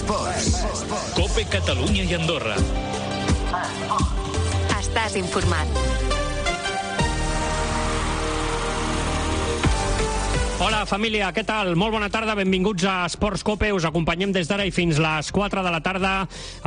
Esports. COPE Catalunya i Andorra. Estàs informat. Hola, família, què tal? Molt bona tarda, benvinguts a Esports COPE. Us acompanyem des d'ara i fins les 4 de la tarda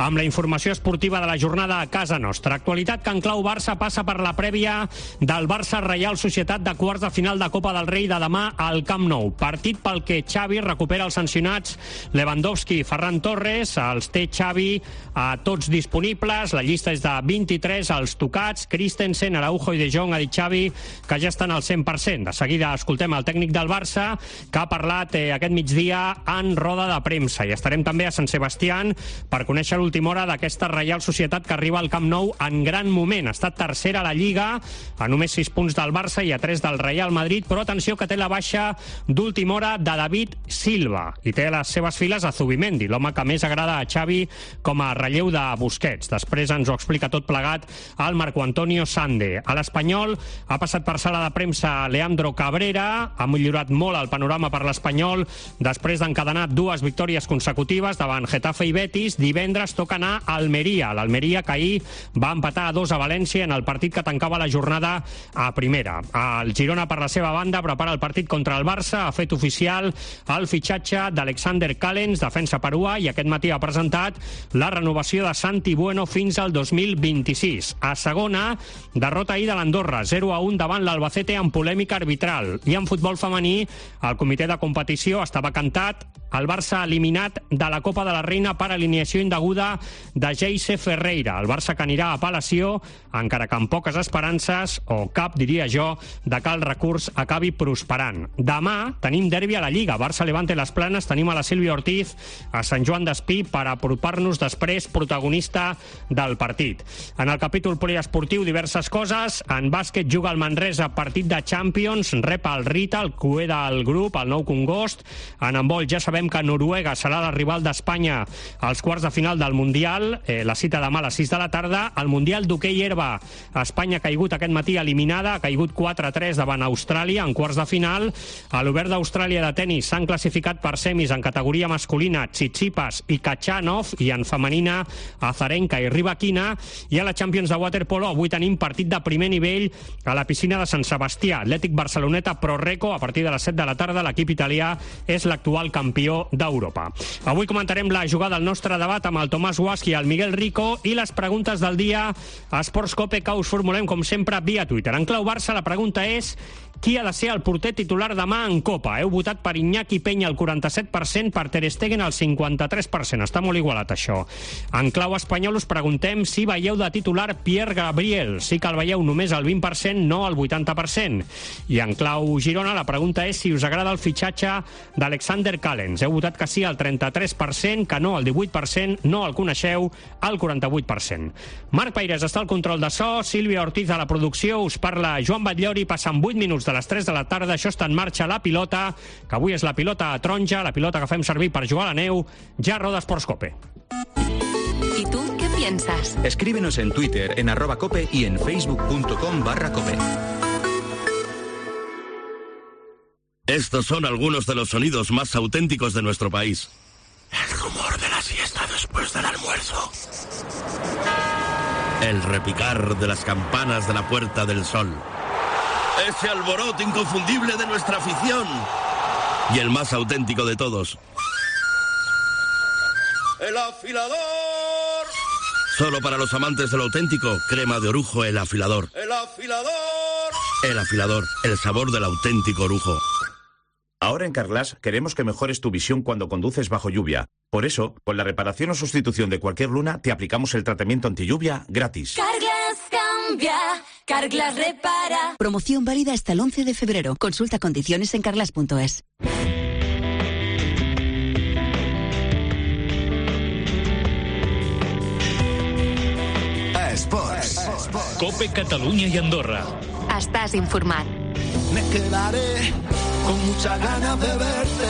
amb la informació esportiva de la jornada a casa nostra. Actualitat que en clau Barça passa per la prèvia del Barça-Reial Societat de quarts de final de Copa del Rei de demà al Camp Nou. Partit pel que Xavi recupera els sancionats Lewandowski i Ferran Torres. Els té Xavi a tots disponibles. La llista és de 23, els tocats. Christensen, Araujo i De Jong, ha dit Xavi que ja estan al 100%. De seguida escoltem el tècnic del Barça, que ha parlat aquest migdia en roda de premsa. I estarem també a Sant Sebastián per conèixer l'última hora d'aquesta Reial Societat que arriba al Camp Nou en gran moment. Ha estat tercera a la Lliga, a només 6 punts del Barça i a 3 del Real Madrid, però atenció que té la baixa d'última hora de David Silva i té a les seves files a Zubimendi, l'home que més agrada a Xavi com a relleu de Busquets. Després ens ho explica tot plegat el Marco Antonio Sande. A l'Espanyol ha passat per sala de premsa Leandro Cabrera, ha millorat molt el panorama per l'Espanyol després d'encadenar 2 victòries consecutives davant Getafe i Betis. Divendres toca anar a Almeria. L'Almeria que ahir va empatar a 2 a València en el partit que tancava la jornada a primera. El Girona, per la seva banda, prepara el partit contra el Barça. Ha fet oficial el fitxatge d'Alexander Callens, defensa perua, i aquest matí ha presentat la renovació de Santi Bueno fins al 2026. A segona, derrota ahir de l'Andorra, 0-1 davant l'Albacete amb polèmica arbitral. I en futbol femení, el comitè de competició estava cantat. El Barça ha eliminat de la Copa de la Reina per alineació indeguda de Geise Ferreira. El Barça que anirà a apel·lació, encara que amb poques esperances, o cap, diria jo, de que el recurs acabi prosperant. Demà tenim derbi a la Lliga. Barça-Levante Les Planes, tenim a la Sílvia Ortiz a Sant Joan d'Espí per apropar-nos després protagonista del partit. En el capítol poliesportiu, diverses coses. En bàsquet juga el Manresa, partit de Champions, rep el Rita, el cué del grup, el Nou Congost. En handbol ja sabem que Noruega serà la rival d'Espanya als quarts de final del Mundial. La cita demà a les 6 de la tarda. El Mundial d'hoquei herba. Espanya ha caigut aquest matí eliminada, ha caigut 4-3 davant Austràlia en quarts de final. A l'Obert d'Austràlia de tenis s'han classificat per semis en categoria masculina Tsitsipas i Kachanov, i en femenina Azarenka i Rybakina. I a la Champions de waterpolo avui tenim partit de primer nivell a la piscina de Sant Sebastià. Atlètic Barceloneta Pro Reco a partir de les 7 de la tarda. L'equip italià és l'actual campió d'Europa. Avui comentarem la jugada al nostre debat amb el Tomàs Guasch i el Miguel Rico i les preguntes del dia a Esports COPE que us formulem com sempre via Twitter. En clau Barça la pregunta és: qui ha de ser el porter titular demà en Copa? Heu votat per Iñaki Peña el 47%, per Ter Stegen el 53%. Està molt igualat això. En clau espanyol us preguntem si veieu de titular Pierre Gabriel. Sí que el veieu només el 20%, no el 80%. I en clau Girona la pregunta és si us agrada el fitxatge d'Alexander Callens. Heu votat que sí el 33%, que no el 18%, no el coneixeu el 48%. Marc Paires està al control de so, Sílvia Ortiz a la producció, us parla Joan Batllori. Passen 8 minuts de les 3 de la tarda, això està en marxa la pilota, que avui és la pilota taronja, la pilota que fem servir per jugar a la neu. Ja roda Esports COPE. ¿Y tú qué piensas? Escríbenos en Twitter, en @cope y en facebook.com/cope. Estos son algunos de los sonidos más auténticos de nuestro país. El rumor de la siesta después del almuerzo. El repicar de las campanas de la Puerta del Sol. Ese alboroto inconfundible de nuestra afición. Y el más auténtico de todos. ¡El afilador! Solo para los amantes del auténtico, crema de orujo El Afilador. ¡El afilador! El Afilador, el sabor del auténtico orujo. Ahora en Carglass queremos que mejores tu visión cuando conduces bajo lluvia. Por eso, con la reparación o sustitución de cualquier luna, te aplicamos el tratamiento antilluvia gratis. Carglass cambia, Carglass repara. Promoción válida hasta el 11 de febrero. Consulta condiciones en carglass.es. Esports. COPE Catalunya i Andorra. Estàs informat. Me quedaré con muchas ganas de verte.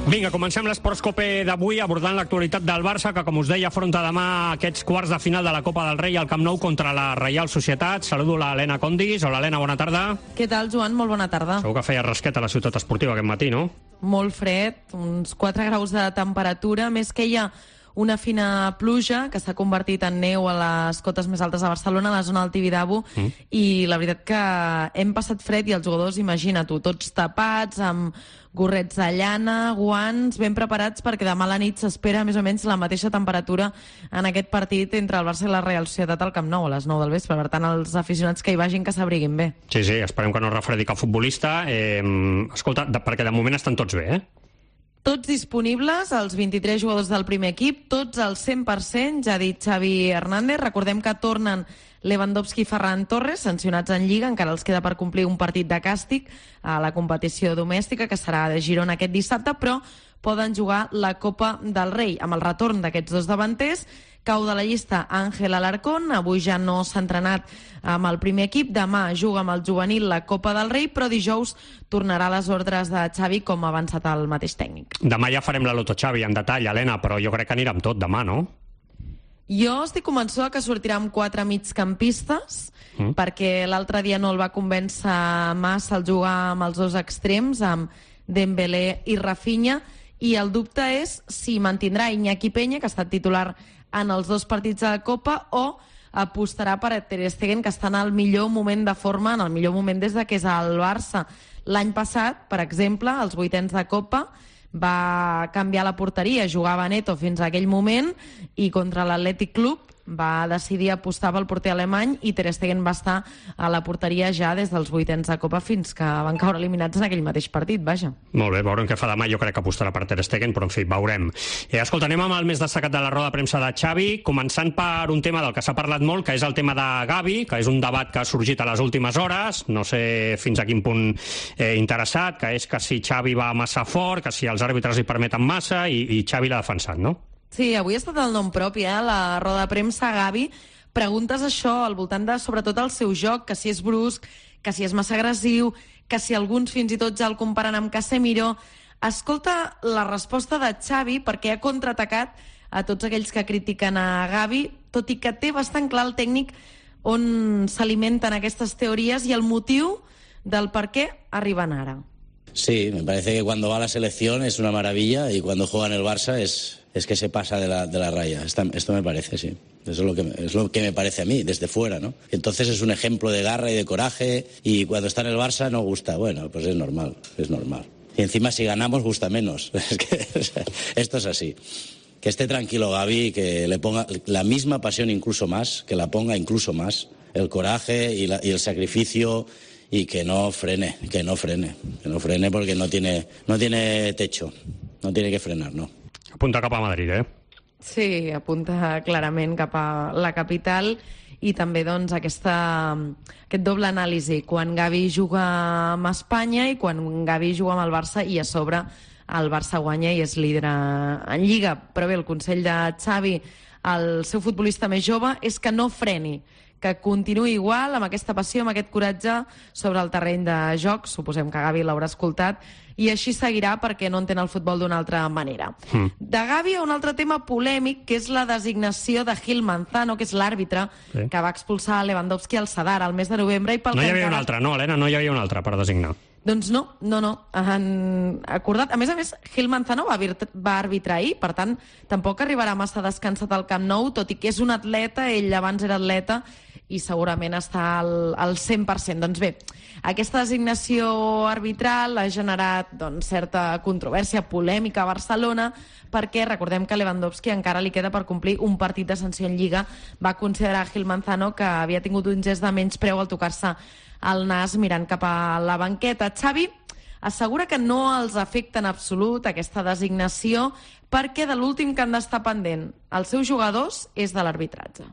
Vinga, comencem l'Esports Cope d'avui abordant l'actualitat del Barça, que, com us deia, afronta demà aquests quarts de final de la Copa del Rei al Camp Nou contra la Reial Societat. Saludo l'Helena Condis. Hola, Helena, bona tarda. Què tal, Joan? Molt bona tarda. Segur que feia rasquet a la ciutat esportiva aquest matí, no? Molt fred, uns 4 graus de temperatura, més que hi ha una fina pluja que s'ha convertit en neu a les cotes més altes de Barcelona, a la zona del Tibidabo, i la veritat que hem passat fred i els jugadors, imagina-t'ho, tots tapats, amb gorrets de llana, guants, ben preparats perquè demà a la nit s'espera més o menys la mateixa temperatura en aquest partit entre el Barça i la Real Societat al Camp Nou a les 9 del vespre. Per tant, els aficionats que hi vagin que s'abriguin bé. Sí, esperem que no refredi cap futbolista. Escolta, perquè de moment estan tots bé, eh? Tots disponibles, els 23 jugadors del primer equip, tots al 100%, ja ha dit Xavi Hernández. Recordem que tornen Lewandowski i Ferran Torres, sancionats en Lliga, encara els queda per complir un partit de càstig a la competició domèstica, que serà de Girona aquest dissabte, però poden jugar la Copa del Rei. Amb el retorn d'aquests dos davanters, cau de la llista Ángel Alarcón, avui ja no s'ha entrenat amb el primer equip, demà juga amb el juvenil la Copa del Rei, però dijous tornarà a les ordres de Xavi, com ha avançat el mateix tècnic. Demà ja farem la Loto Xavi en detall, Helena, però jo crec que anirà amb tot demà, no? Jo estic convençuda que sortirà amb 4 migcampistes, perquè l'altre dia no el va convèncer massa el jugar amb els dos extrems, amb Dembélé i Rafinha, i el dubte és si mantindrà Iñaki Peña, que ha estat titular en els dos partits de la Copa, o apostarà per Ter Stegen, que està en el millor moment de forma, en el millor moment des de que és al Barça. L'any passat, per exemple, als 8ens de Copa, va canviar la porteria, jugava Neto fins a aquell moment, i contra l'Atlètic Club va decidir apostar pel porter alemany i Ter Stegen va estar a la porteria ja des dels 8ens de Copa fins que van caure eliminats en aquell mateix partit, vaja. Molt bé, veurem què fa demà. Jo crec que apostarà per Ter Stegen, però en fi, veurem. Escolta, anem amb el més destacat de la roda de premsa de Xavi, començant per un tema del que s'ha parlat molt, que és el tema de Gavi, que és un debat que ha sorgit a les últimes hores, no sé fins a quin punt interessat, que és que si Xavi va massa fort, que si els àrbitres li permeten massa, i Xavi l'ha defensat, no? Sí, avui ha estat el nom propi, la roda de premsa. Gavi, preguntes això al voltant de, sobretot, el seu joc, que si és brusc, que si és massa agressiu, que si alguns fins i tot ja el comparen amb Casemiro. Escolta la resposta de Xavi, perquè ha contraatacat a tots aquells que critiquen a Gavi, tot i que té bastant clar el tècnic on s'alimenten aquestes teories i el motiu del per què arriben ara. Sí, me parece que cuando va a la selección es una maravilla y cuando juega en el Barça es que se pasa de la raya. Esto me parece, sí. Eso es lo que me parece a mí, desde fuera, ¿no? Entonces es un ejemplo de garra y de coraje, y cuando está en el Barça no gusta. Bueno, pues es normal. Y encima si ganamos gusta menos. Es que esto es así. Que esté tranquilo Gavi, que le ponga la misma pasión incluso más, que la ponga incluso más, el coraje y el sacrificio, y que no frene porque no tiene techo, no tiene que frenar, no. Apunta cap a Madrid, eh? Sí, apunta clarament cap a la capital, i també doncs aquest doble anàlisi, quan Gavi juga amb Espanya i quan Gavi juga amb el Barça, i a sobre el Barça guanya i és líder en Lliga. Però bé, el consell de Xavi al seu futbolista més jove és que no freni, que continuï igual, amb aquesta passió, amb aquest coratge sobre el terreny de joc. Suposem que Gavi l'haurà escoltat, i així seguirà perquè no entén el futbol d'una altra manera. De Gavi a un altre tema polèmic, que és la designació de Gil Manzano, que és l'àrbitre que va expulsar Lewandowski al Sadar al mes de novembre. No hi havia un altre, no, Helena? No hi havia un altre per designar. Doncs no. Han acordat. A més, Gil Manzano va arbitrar ahir, per tant, tampoc arribarà massa descansat al Camp Nou, tot i que és un atleta, ell abans era atleta, i segurament està al 100%. Doncs bé, aquesta designació arbitral ha generat certa controvèrsia, polèmica a Barcelona, perquè recordem que Lewandowski encara li queda per complir un partit de sanció en Lliga. Va considerar Gil Manzano que havia tingut un gest de menyspreu al tocar-se el nas mirant cap a la banqueta. Xavi assegura que no els afecta en absolut aquesta designació, perquè de l'últim que han d'estar pendent els seus jugadors és de l'arbitratge.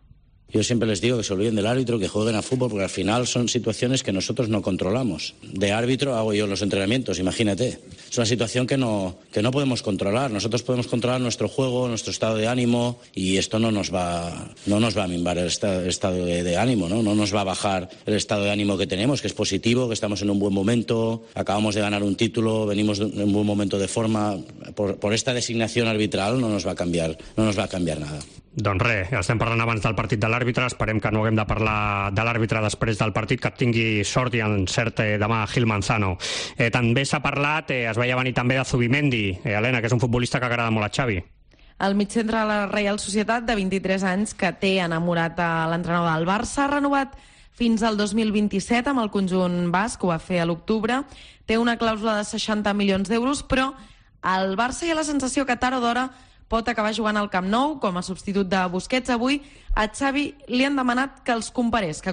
Yo siempre les digo que se olviden del árbitro, que jueguen a fútbol, porque al final son situaciones que nosotros no controlamos. De árbitro hago yo los entrenamientos, imagínate. Es una situación que no podemos controlar. Nosotros podemos controlar nuestro juego, nuestro estado de ánimo, y esto no nos va a minvar el estado de ánimo, ¿no? No nos va a bajar el estado de ánimo que tenemos, que es positivo, que estamos en un buen momento, acabamos de ganar un título, venimos en un buen momento de forma. Por esta designación arbitral no nos va a cambiar nada. Doncs res, estem parlant abans del partit de l'àrbitre, esperem que no haguem de parlar de l'àrbitre després del partit, que tingui sort i encert demà Gil Manzano. També s'ha parlat, es veia venir també de Zubimendi, Helena, que és un futbolista que agrada molt a Xavi. El mitjantre de la Reial Societat, de 23 anys, que té enamorat a l'entrenador del Barça, ha renovat fins al 2027 amb el conjunt basc, ho va fer a l'octubre, té una clàusula de 60 milions d'euros, però al Barça hi ha la sensació que tard o d'hora pot acabar jugant al Camp Nou com a substitut de Busquets. Avui a Xavi li han demanat que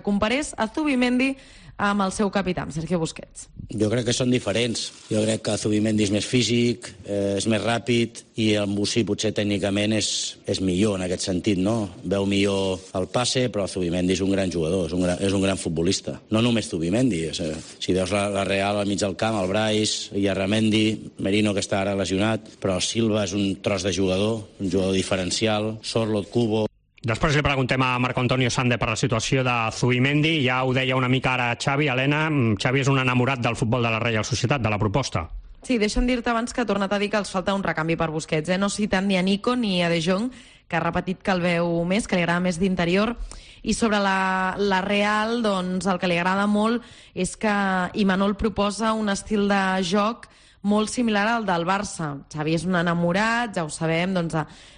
comparés a Zubimendi amb el seu capità, Sergio Busquets. Jo crec que són diferents. Jo crec que Zubimendi és més físic, és més ràpid, i el Bussi potser tècnicament és millor en aquest sentit, no? Veu millor el passe, però Zubimendi és un gran jugador, és un gran futbolista. No només Zubimendi. Si veus la Real al mig del camp, el Brais, Illarramendi, Merino, que està ara lesionat, però Silva és un tros de jugador, un jugador diferencial, Sorloth, Kubo. Després li preguntem a Marco Antonio Sande per la situació de Zubimendi. Ja ho deia una mica ara Xavi. Helena, Xavi és un enamorat del futbol de la Reial Societat, de la proposta. Sí, deixa'm dir-te abans que ha tornat a dir que els falta un recanvi per Busquets. No citant ni a Nico ni a De Jong, que ha repetit que el veu més, que li agrada més d'interior. I sobre la Real, doncs el que li agrada molt és que Imanol proposa un estil de joc molt similar al del Barça. Xavi és un enamorat, ja ho sabem, doncs,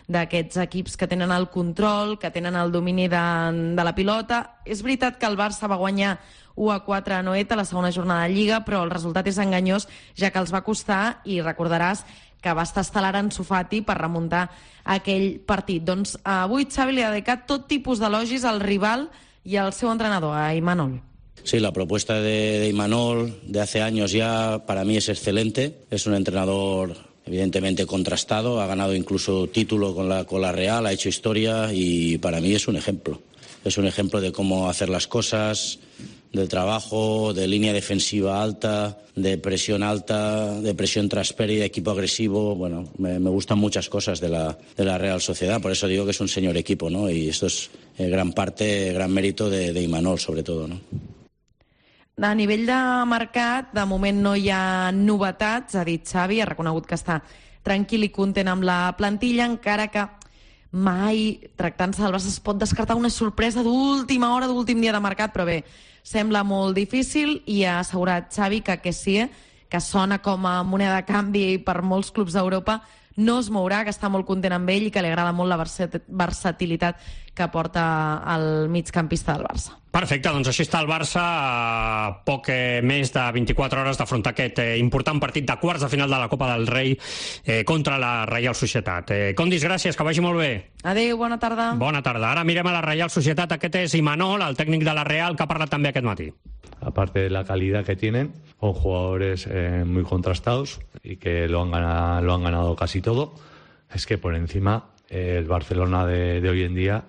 d'aquests equips que tenen el control, que tenen el domini de la pilota. És veritat que el Barça va guanyar 1-4 a Noeta a la segona jornada de Lliga, però el resultat és enganyós, ja que els va costar, i recordaràs que va estar estel·lar Ansu Fati per remuntar aquell partit. Doncs avui Xavi li ha dedicat tot tipus d'elogis al rival i al seu entrenador, a Imanol. Sí, la propuesta de Imanol de hace años ya para mí es excelente. Es un entrenador evidentemente contrastado, ha ganado incluso título con la Real, ha hecho historia, y para mí es un ejemplo. Es un ejemplo de cómo hacer las cosas, de trabajo, de línea defensiva alta, de presión tras pérdida, equipo agresivo. Bueno, me gustan muchas cosas de la Real Sociedad, por eso digo que es un señor equipo, ¿no? Y esto es gran mérito de Imanol, sobre todo, ¿no? A nivell de mercat, de moment no hi ha novetats, ha dit Xavi, ha reconegut que està tranquil i content amb la plantilla, encara que mai, tractant-se del Barça, es pot descartar una sorpresa d'última hora, d'últim dia de mercat, però bé, sembla molt difícil, i ha assegurat Xavi que sí, que sona com a moneda de canvi per molts clubs d'Europa, no es mourà, que està molt content amb ell i que li agrada molt la versatilitat que porta el migcampista del Barça. Perfecte, doncs així està el Barça a poc més de 24 hores d'afrontar aquest important partit de quarts de final de la Copa del Rei contra la Reial Societat. Condis, gràcies, que vagi molt bé. Adéu, bona tarda. Bona tarda. Ara mirem a la Reial Societat. Aquest és Imanol, el tècnic de la Real, que ha parlat també aquest matí. Aparte de la calidad que tienen, son jugadores muy contrastados y que lo han ganado casi todo. Es que por encima el Barcelona de hoy en día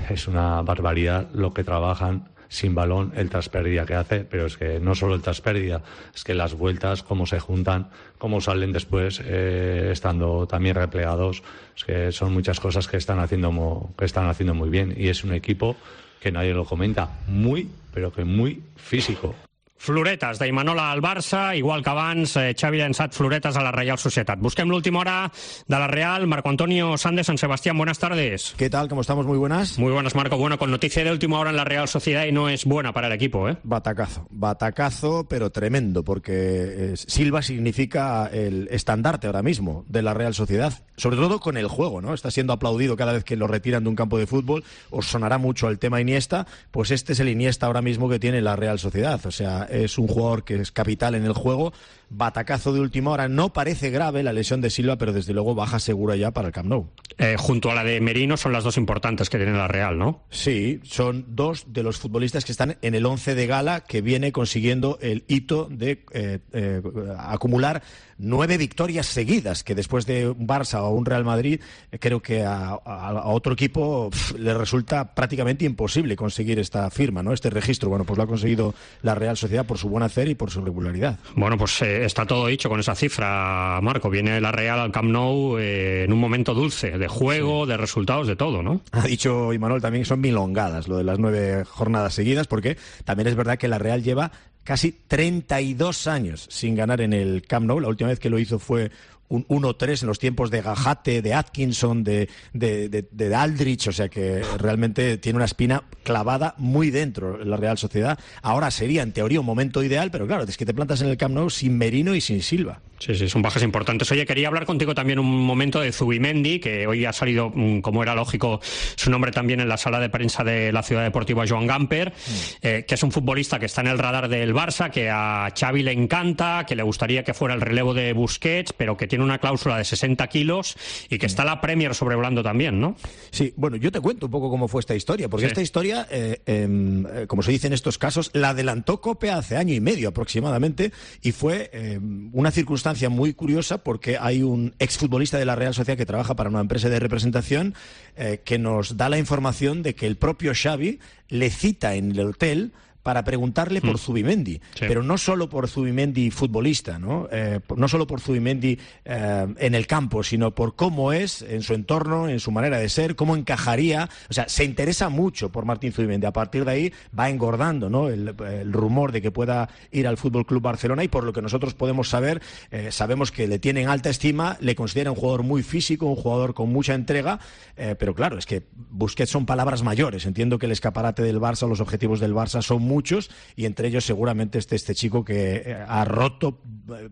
es una barbaridad lo que trabajan sin balón, el traspérdida que hace, pero es que no solo el traspérdida, es que las vueltas, cómo se juntan, cómo salen después estando también replegados, es que son muchas cosas que están haciendo muy bien, y es un equipo que nadie lo comenta, muy, pero que muy físico. Floretes d'Imanol al Barça, igual que abans, Xavi ha llançat floretes a la Real Sociedad. Busquem l'última hora de la Real. Marco Antonio Sande, San Sebastián, buenas tardes. ¿Qué tal? ¿Cómo estamos? Muy buenas. Muy buenas, Marco. Bueno, con noticia de última hora en la Real Sociedad, y no es buena para el equipo, ¿eh? Batacazo, pero tremendo, porque Silva significa el estandarte ahora mismo de la Real Sociedad, sobre todo con el juego, ¿no? Está siendo aplaudido cada vez que lo retiran de un campo de fútbol. Os sonará mucho el tema Iniesta, pues este es el Iniesta ahora mismo que tiene la Real Sociedad. O sea, es un jugador que es capital en el juego, batacazo de última hora. No parece grave la lesión de Silva, pero desde luego baja segura ya para el Camp Nou. Junto a la de Merino son las dos importantes que tiene la Real, ¿no? Sí, son dos de los futbolistas que están en el 11 de gala, que viene consiguiendo el hito de acumular 9 victorias seguidas, que después de un Barça o un Real Madrid, creo que a otro equipo le resulta prácticamente imposible conseguir esta firma, ¿no? Este registro. Bueno, pues lo ha conseguido la Real Sociedad por su buen hacer y por su regularidad. Bueno, pues está todo dicho con esa cifra, Marco. Viene la Real al Camp Nou en un momento dulce, de juego, de resultados, de todo, ¿no? Ha dicho Imanol también que son milongadas lo de las 9 jornadas seguidas, porque también es verdad que la Real lleva casi 32 años sin ganar en el Camp Nou. La última vez que lo hizo fue un 1-3 en los tiempos de Gajate, de Atkinson, de Aldrich, o sea que realmente tiene una espina clavada muy dentro la Real Sociedad. Ahora sería en teoría un momento ideal, pero claro, es que te plantas en el Camp Nou sin Merino y sin Silva. Sí, son bajas importantes. Oye, quería hablar contigo también un momento de Zubimendi, que hoy ha salido, como era lógico, su nombre también en la sala de prensa de la Ciudad Deportiva Joan Gamper, que es un futbolista que está en el radar del Barça, que a Xavi le encanta, que le gustaría que fuera el relevo de Busquets, pero que tiene una cláusula de 60 kilos y que está la Premier sobrevolando también, ¿no? Sí, bueno, yo te cuento un poco cómo fue esta historia, porque esta historia, como se dice en estos casos, la adelantó COPE hace año y medio aproximadamente, y fue una circunstancia muy curiosa, porque hay un exfutbolista de la Real Sociedad que trabaja para una empresa de representación que nos da la información de que el propio Xavi le cita en el hotel para preguntarle por Zubimendi, pero no solo por Zubimendi futbolista, ¿no? No solo por Zubimendi en el campo, sino por cómo es en su entorno, en su manera de ser, cómo encajaría. O sea, se interesa mucho por Martín Zubimendi. A partir de ahí va engordando, ¿no?, el rumor de que pueda ir al Fútbol Club Barcelona, y por lo que nosotros podemos saber, sabemos que le tienen alta estima, le consideran un jugador muy físico, un jugador con mucha entrega, pero claro, es que Busquets son palabras mayores. Entiendo que el escaparate del Barça, los objetivos del Barça son muchos, y entre ellos seguramente este chico que ha roto,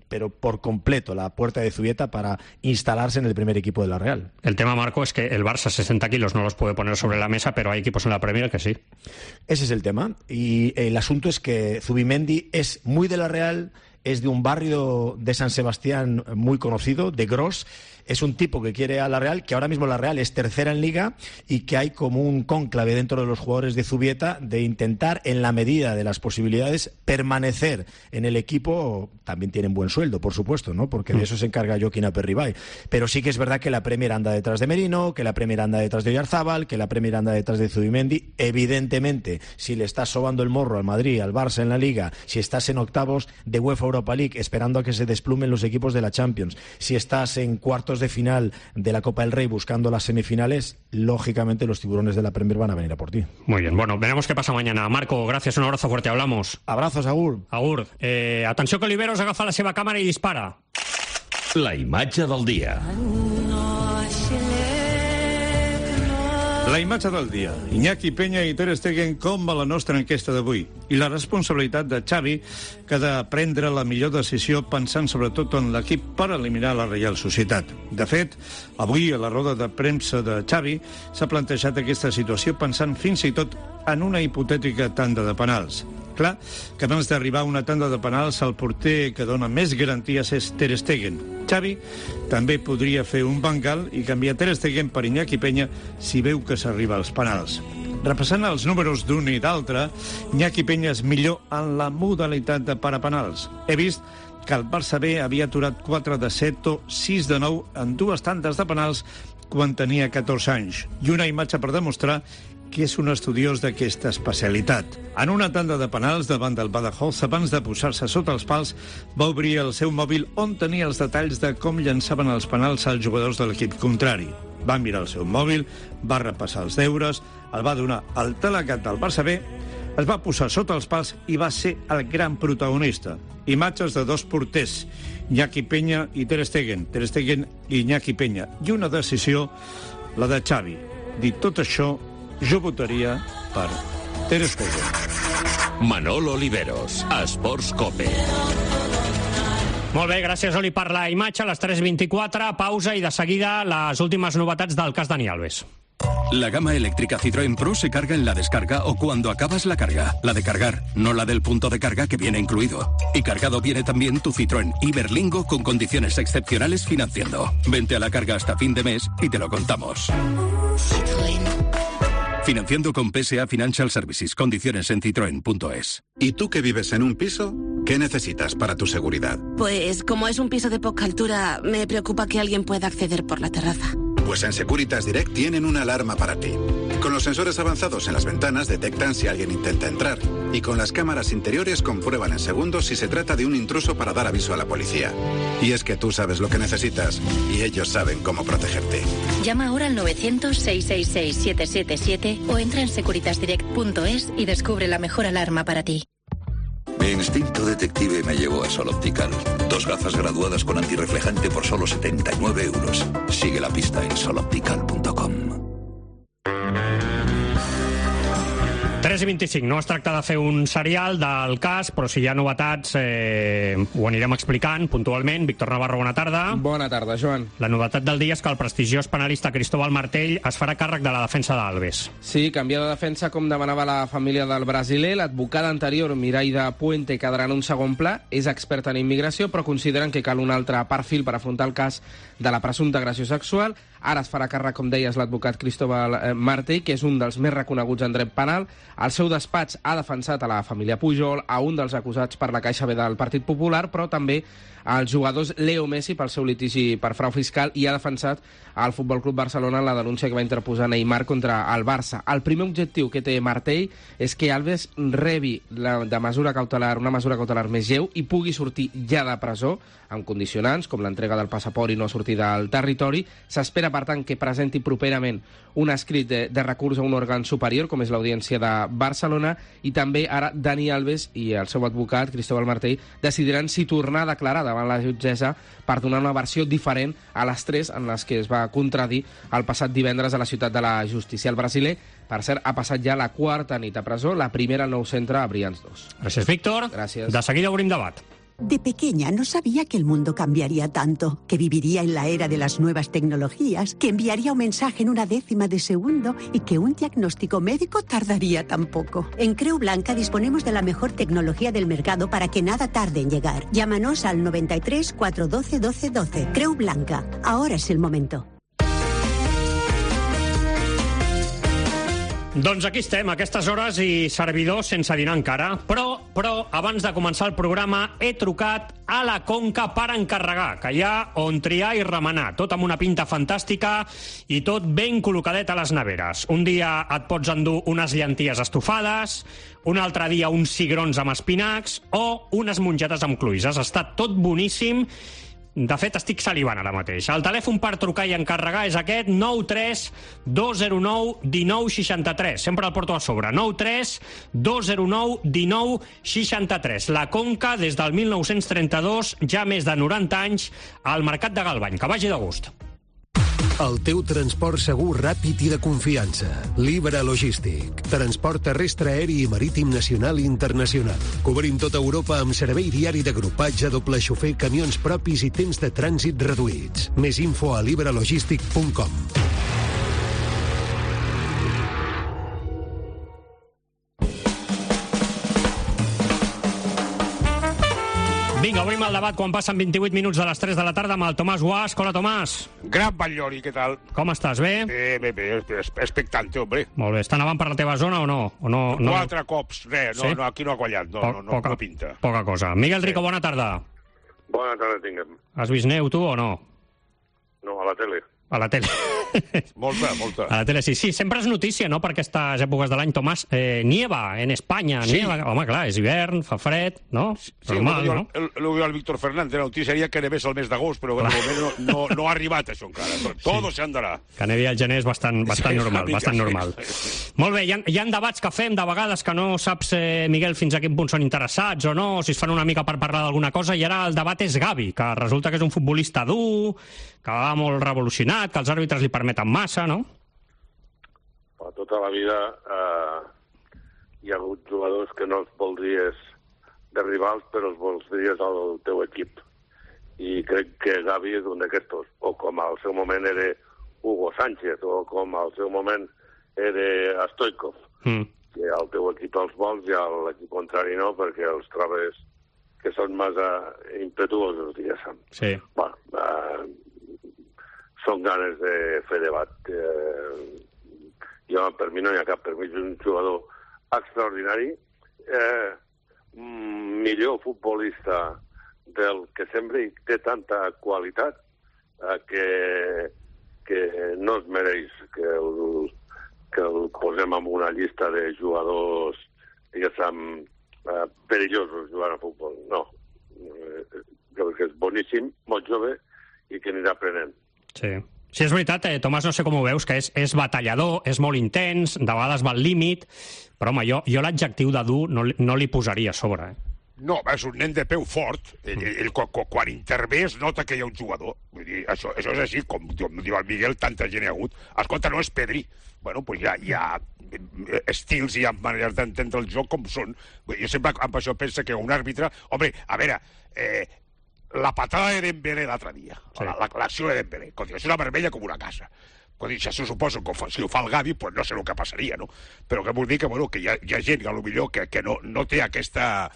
pero por completo, la puerta de Zubieta para instalarse en el primer equipo de la Real. El tema, Marco, es que el Barça 60 kilos no los puede poner sobre la mesa, pero hay equipos en la Premier que sí. Ese es el tema, y el asunto es que Zubimendi es muy de la Real, es de un barrio de San Sebastián muy conocido, de Gros. Es un tipo que quiere a la Real, que ahora mismo la Real es tercera en Liga, y que hay como un cónclave dentro de los jugadores de Zubieta de intentar, en la medida de las posibilidades, permanecer en el equipo. También tienen buen sueldo, por supuesto, ¿no?, porque de eso se encarga Joaquín Aperribay. Pero sí que es verdad que la Premier anda detrás de Merino, que la Premier anda detrás de Oyarzábal, que la Premier anda detrás de Zubimendi. Evidentemente, si le estás sobando el morro al Madrid, al Barça en la Liga, si estás en octavos de UEFA Europa League esperando a que se desplumen los equipos de la Champions, si estás en cuartos de final de la Copa del Rey buscando las semifinales, lógicamente los tiburones de la Premier van a venir a por ti. Muy bien, bueno, veremos qué pasa mañana. Marco, gracias, un abrazo fuerte, hablamos. Abrazos, Agur. Agur. Atenció que Oliveros agafa la seva càmera i dispara. La imatge del dia. La imatge del dia. Iñaki Peña i Ter Stegen com a la nostra enquesta d'avui. I la responsabilitat de Xavi, que ha de prendre la millor decisió pensant sobretot en l'equip per eliminar la Reial Societat. De fet, avui a la roda de premsa de Xavi s'ha plantejat aquesta situació pensant fins i tot en una hipotètica tanda de penals. Clar que abans d'arribar a una tanda de penals el porter que dona més garanties és Ter Stegen. Xavi també podria fer un bangal i canviar Ter Stegen per Iñaki Peña si veu que s'arriba als penals. Repassant els números d'un i d'altre, Iñaki Peña és millor en la modalitat de parapenals. He vist que el Barça B havia aturat 4 de 7 o 6 de 9 en 2 tandes de penals quan tenia 14 anys. I una imatge per demostrar que és un estudiós d'aquesta especialitat. En una tanda de penals davant del Badajoz, abans de posar-se sota els pals, va obrir el seu mòbil on tenia els detalls de com llançaven els penals als jugadors de l'equip contrari. Va mirar el seu mòbil, va repassar els deures, el va donar al delegat del Barça B, es va posar sota els pals i va ser el gran protagonista. Imatges de dos porters, Iñaki Peña i Ter Stegen i Iñaki Peña. I una decisió, la de Xavi. Dit tot això, jo votaria per Ter Stegen. Manolo Oliveros, Esports Cope. Molt bé, gràcies, Oli, per la imatge. A les 3:24, pausa i de seguida les últimes novetats del cas Dani Alves. La gama eléctrica Citroën Pro se carga en la descarga o cuando acabas la carga. La de cargar, no la del punto de carga que viene incluido. Y cargado viene también tu Citroën Iberlingo con condiciones excepcionales financiando. Vente a la carga hasta fin de mes y te lo contamos. Financiando con PSA Financial Services. Condiciones en citroen.es. ¿Y tú que vives en un piso? ¿Qué necesitas para tu seguridad? Pues como es un piso de poca altura, me preocupa que alguien pueda acceder por la terraza. Pues en Securitas Direct tienen una alarma para ti. Con los sensores avanzados en las ventanas detectan si alguien intenta entrar. Y con las cámaras interiores comprueban en segundos si se trata de un intruso para dar aviso a la policía. Y es que tú sabes lo que necesitas y ellos saben cómo protegerte. Llama ahora al 900-666-777 o entra en securitasdirect.es y descubre la mejor alarma para ti. Mi instinto detective me llevó a Sol Optical. 2 gafas graduadas con antirreflejante por solo 79 euros. Sigue la pista en soloptical.com. 3:25. No es tracta de fer un serial del cas, però si hi ha novetats ho anirem explicant puntualment. Víctor Navarro, bona tarda. Bona tarda, Joan. La novetat del dia és que el prestigiós penalista Cristóbal Martell es farà càrrec de la defensa d'Alves. Sí, canviar de defensa com demanava la família del brasiler. L'advocada anterior, Miraida Puente, quedarà en un segon pla. És experta en immigració, però consideren que cal un altre perfil per afrontar el cas de la presumpta agressió sexual. Ara es farà càrrec, com deies, l'advocat Cristóbal Martell, que és un dels més reconeguts en dret penal. El seu despatx ha defensat a la família Pujol, a un dels acusats per la Caixa B del Partit Popular, però també als jugadors Leo Messi pel seu litigi per frau fiscal i ha defensat al Futbol Club Barcelona en la denúncia que va interposar Neymar contra el Barça. El primer objectiu que té Martell és que Alves rebi una mesura cautelar més lleu i pugui sortir ja de presó, amb condicionants, com l'entrega del passaport i no sortir del territori. S'espera, per tant, que presenti properament un escrit de recurs a un òrgan superior, com és l'Audiència de Barcelona, i també ara Dani Alves i el seu advocat, Cristóbal Martell, decidiran si tornar a declarar davant la jutgessa per donar una versió diferent a les 3 en les que es va contradir el passat divendres a la ciutat de la Justícia. El brasiler, per cert, ha passat ja la 4a nit a presó, la primera al nou centre a Brians 2. Gràcies, Víctor. Gràcies. De seguida obrim debat. De pequeña no sabía que el mundo cambiaría tanto, que viviría en la era de las nuevas tecnologías, que enviaría un mensaje en 1/10 de segundo y que un diagnóstico médico tardaría tan poco. En Creu Blanca disponemos de la mejor tecnología del mercado para que nada tarde en llegar. Llámanos al 93 412 12 12. Creu Blanca. Ahora es el momento. Doncs aquí estem, a aquestes hores i servidors sense dinar encara. Però abans de començar el programa he trucat a la Conca per encarregar, que hi ha on triar i remenar, tot amb una pinta fantàstica i tot ben col·locadet a les neveres. Un dia et pots endur unes llenties estofades, un altre dia uns cigrons amb espinacs o unes mongetes amb cluïsses. Està tot boníssim. De fet, estic salivant ara mateix. El telèfon per trucar i encarregar és aquest, 93 209 19 63. Sempre el porto a sobre, 93 209 19 63. La Conca, des del 1932, ja més de 90 anys, al Mercat de Galvany. Que vagi de gust. El teu transport segur, ràpid i de confiança. Libra Logístic. Transport terrestre, aeri i marítim nacional i internacional. Cobrim tota Europa amb servei diari d'agrupatge, doble xofer, camions propis i temps de trànsit reduïts. Més info a libralogistic.com. Vinga, obrim el debat quan passen 28 minuts de les 3 de la tarda amb el Tomàs Guasch. Hola, Tomàs. Gran Batllori, què tal? Com estàs, bé? Bé, expectante, hombre. Molt bé. Està nevant per la teva zona o no? No 4 cops, res, sí? No, aquí no ha quallat, no pinta. Poca cosa. Miguel Rico, bona tarda. Bona tarda, tinguem. Has vist neu, tu, o no? No, a la tele. A la tele. Molta. A la tele, sí. Sempre és notícia, no?, per aquestes èpoques de l'any, Tomàs. Nieva en Espanya. Sí. Nieva. Home, clar, és hivern, fa fred, no? Sí, normal, no? Lo veo al Víctor Fernández. La notícia seria que nevés el mes d'agost, però de moment no ha arribat això encara. Todo se andarà. Que nevi al gener és bastant normal, bastant normal. Molt bé, hi ha debats que fem de vegades que no saps, Miguel, fins a quin punt són interessats o no, si es fan una mica per parlar d'alguna cosa, i ara el debat és Gavi, que resulta que és un futbolista dur, que va molt revolucionat, que els àrbitres li permeten massa, no? Tota la vida hi ha hagut jugadors que no els voldries de rivals, però els voldries al teu equip. I crec que Gavi és un d'aquestos, o com al seu moment era Hugo Sánchez, o com al seu moment era Stoikov, que el teu equip els vols i l'equip contrari no, perquè els trobes que són massa impetuosos, diguéssim. Sí. Són ganes de fer debat. Jo, per mi no hi ha cap. Per mi és un jugador extraordinari, millor futbolista del que sempre té tanta qualitat que no es mereix que el posem en una llista de jugadors, diguéssim, perillosos jugant a futbol. No. Jo crec que és boníssim, molt jove, i que anirà aprenent. Sí. Sí, és veritat, Tomàs, no sé com ho veus, que és batallador, és molt intens, de vegades va al límit, però home, jo l'adjectiu de dur no li posaria a sobre. No, és un nen de peu fort. Ell quan intervé es nota que hi ha un jugador. Vull dir, això és així, com diu el Miguel, tanta gent hi ha hagut. Escolta, no és Pedri. Bueno, pues hi ha estils i hi ha maneres d'entendre el joc com són. Jo sempre amb això penso que un àrbitre... Home, a veure, la patada de Dembélé l'altre dia, l'acció de Dembélé, és una vermella com una casa. Si se suposo que si ho fa el Gavi, pues no sé el que passaria, no? Però que vull dir que, bueno, que hi ha gent que potser que no té aquesta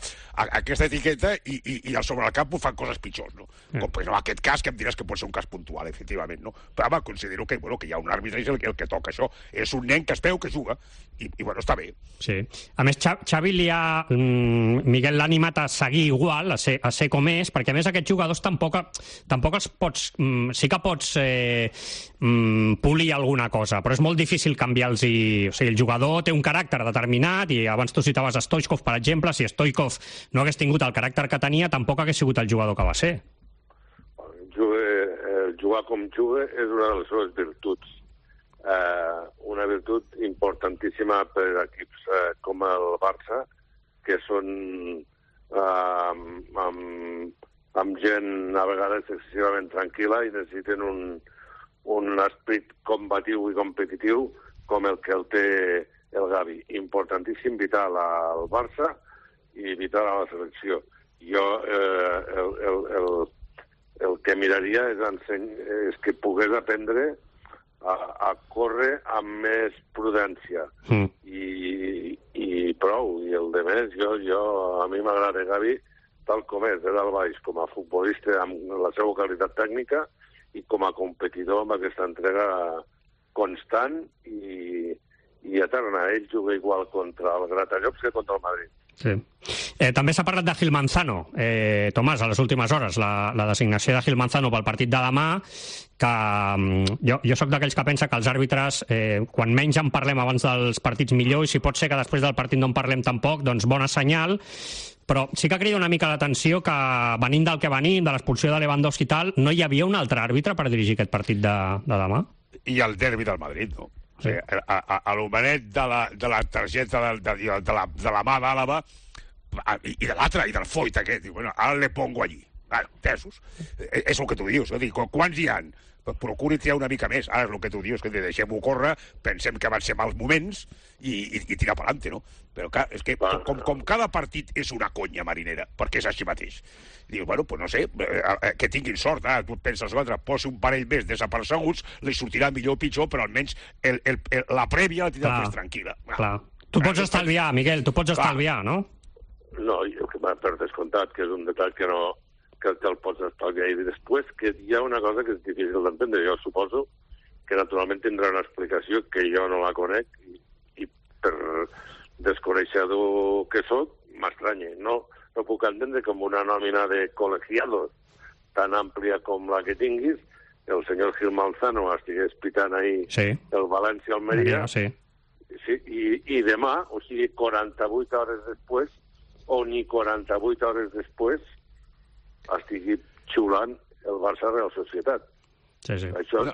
etiqueta i al sobre el camp ho fan coses pitjors, no? Com en aquest cas, que em diràs que pot ser un cas puntual, efectivament, no? Però home, considero que hi ha un àrbitre i el que toca això. És un nen que es veu que juga i bueno, està bé. Sí. A més, Xavi Miguel l'ha animat a seguir igual, a ser com és, perquè a més aquests jugadors tampoc els pots... Sí que pots polir alguna cosa, però és molt difícil canviar-los. O sigui, el jugador té un caràcter determinat i abans tu citaves Stoikov, per exemple. Si Stoikov no hagués tingut el caràcter que tenia, tampoc hagués sigut el jugador que va ser. Jugar com juga és una de les seves virtuts. Una virtut importantíssima per equips com el Barça, que són amb gent a vegades excessivament tranquil·la i necessiten un esperit combatiu i competitiu com el que el té el Gavi. Importantíssim, vital al Barça i vital a la selecció. Jo el que miraria és que pogués aprendre a córrer amb més prudència i prou. I el de més, a mi m'agrada Gavi tal com és, de dalt baix, com a futbolista amb la seva qualitat tècnica i com a competidor amb aquesta entrega constant i eterna. Ell juga igual contra el Gratallops que contra el Madrid. Sí. També s'ha parlat de Gil Manzano, Tomàs, a les últimes hores, la designació de Gil Manzano pel partit de demà, que jo sóc d'aquells que pensa que els àrbitres, quan menys en parlem abans dels partits millor, i si pot ser que després del partit no en parlem tampoc, doncs bona senyal. Però sí que crida una mica l'atenció que, venint del que venim, de l'expulsió de Lewandowski i tal, no hi havia un altre àrbitre per dirigir aquest partit de demà? I el derbi del Madrid, no? O sigui, a l'homenet de la targeta de la mà d'Àlava i de l'altre, i del Foyt aquest, diu, bueno, ara le pongo allí. Entesos. És el que tu dius. Quants hi ha? Procuri triar una mica més. Ara és el que tu dius, que deixem-ho córrer, pensem que van ser mals moments i tirar per endavant, no? Però clar, és que com cada partit és una conya marinera, perquè és així mateix. Dius, bueno, doncs no sé, que tinguin sort. Tu et penses, posi un parell més desapercebuts, li sortirà millor o pitjor, però almenys la prèvia la tindrà més tranquil·la. Clar. Tu pots estalviar, Miguel, tu pots estalviar, no? No, per descomptat, que és un detall que no... que te'l pots estalviar. I després que hi ha una cosa que és difícil d'entendre. Jo suposo que naturalment tindrà una explicació que jo no la conec i per desconeixedor que soc, m'estranya. No puc entendre com una nòmina de col·legiados tan àmplia com la que tinguis, el senyor Gil Manzano estigués pitant ahir el València-Almeria, i demà, o sigui, 48 hores després, o ni 48 hores després, estigui xiulant el Barça-Real Societat. Això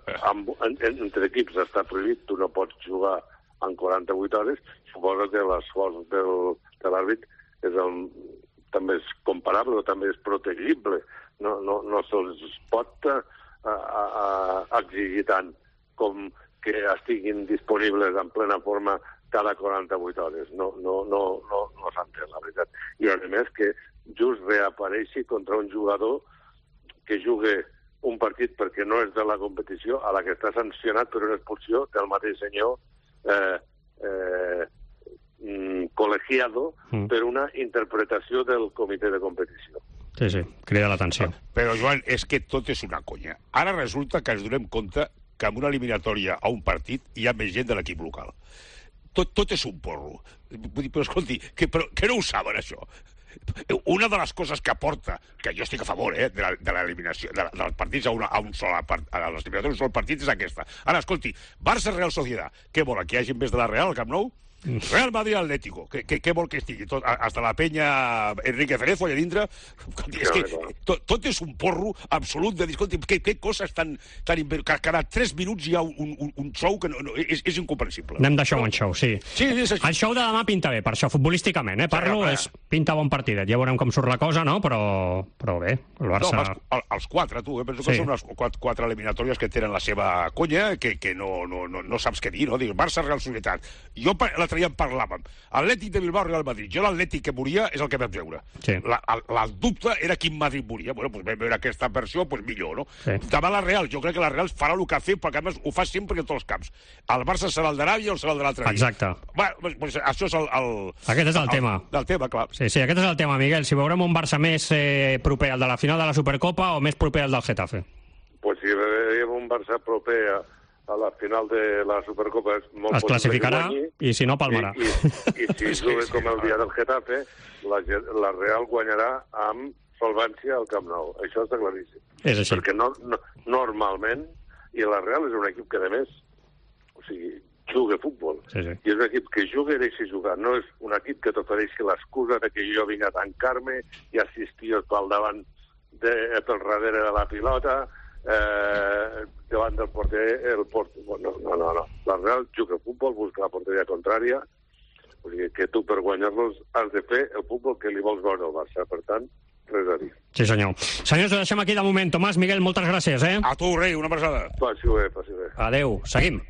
entre equips està prohibit, tu no pots jugar en 48 hores. Suposo que l'esforç de l'àrbit també és comparable o també és protegible. No se'ls pot exigir tant com que estiguin disponibles en plena forma cada 48 hores. No s'entén, la veritat. I a més que just reapareixi contra un jugador que juga un partit perquè no és de la competició, a la que està sancionat per una expulsió del mateix senyor col·legiado per una interpretació del comitè de competició. Sí, sí, crida l'atenció. Però, Joan, és que tot és una conya. Ara resulta que ens donem compte que en una eliminatòria a un partit hi ha més gent de l'equip local. Tot és un porro. Vull dir, però escolti, que no ho saben, això? Una de les coses que aporta, que jo estic a favor de l'eliminació dels partits a un sol partit, és aquesta. Ara, escolti, Barça-Real Sociedad, què vol, que hi hagi més de la Real al Camp Nou? Real Madrid-Atlético, què vol que estigui? Hasta la penya Enrique Cerezo allà dintre. És que tot és un porro absolut de dir, escolti, què coses tan... Cada 3 minuts hi ha un show que és incomprensible. Anem de show en show, sí. Sí, és així. El show de demà pinta bé, per això, futbolísticament, parlo, pinta bon partidet. Ja veurem com surt la cosa, no? Però bé, el Barça... No, els 4, tu, penso que són les 4 eliminatòries que tenen la seva conya, que no saps què dir, no? Dius, Barça-Real Societat. Jo l'altre dia en parlàvem. Atlètic de Bilbao, Real Madrid. Jo l'Atlètic que moria és el que vam veure. Sí. El dubte era quin Madrid moria. Bueno, doncs vam veure aquesta versió, doncs millor, no? Sí. Davant la Real, jo crec que la Real farà el que ha fet, perquè a més ho fa sempre en tots els camps. El Barça serà el d'Aràbia o serà el de l'altre dia. Exacte. Doncs això és Aquest és el tema. Del tema, clar. Sí, aquest és el tema, Miguel. Si veurem un Barça més proper al de la final de la Supercopa o més proper al del Getafe? Pues si veiem un Barça proper a la final de la Supercopa és molt es classificarà i si no palmarà. I si juga com el dia del Getafe, la Real guanyarà amb solvència al Camp Nou. Això està claríssim. És així. Perquè normalment, i la Real és un equip que, a més, juga futbol. Sí, sí. I és un equip que juga i deixa jugar. No és un equip que t'ofereixi l'excusa de que jo vinc a tancar-me i assistir pel davant, pel darrere de la pilota, davant del porter, no. La Real juga futbol, busca la porteria contrària, o sigui que tu per guanyar-los has de fer el futbol que li vols veure al Barça, per tant, res a dir. Sí, senyor. Senyors, ho deixem aquí de moment. Tomàs, Miguel, moltes gràcies, A tu, rei, una abraçada. Passi bé. Adéu, seguim.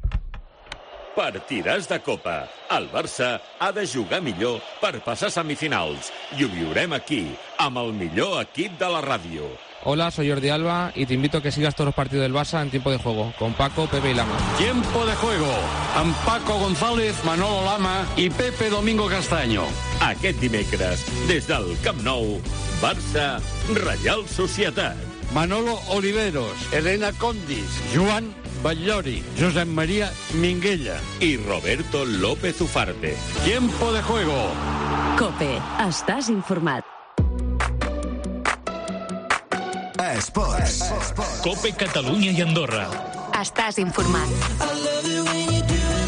Partidàs de Copa. El Barça ha de jugar millor per passar semifinals. I ho viurem aquí, amb el millor equip de la ràdio. Hola, soy Jordi Alba y te invito a que sigas todos los partidos del Barça en tiempo de juego, con Paco, Pepe y Lama. Tiempo de juego, amb Paco González, Manolo Lama i Pepe Domingo Castaño. Aquest dimecres, des del Camp Nou, Barça, Reial Societat. Manolo Oliveros, Elena Condis, Joan Batllori, Josep María Minguella i Roberto López Ufarte. Tiempo de juego. COPE. Estàs informat. Esports. COPE Catalunya i Andorra. Estàs informat.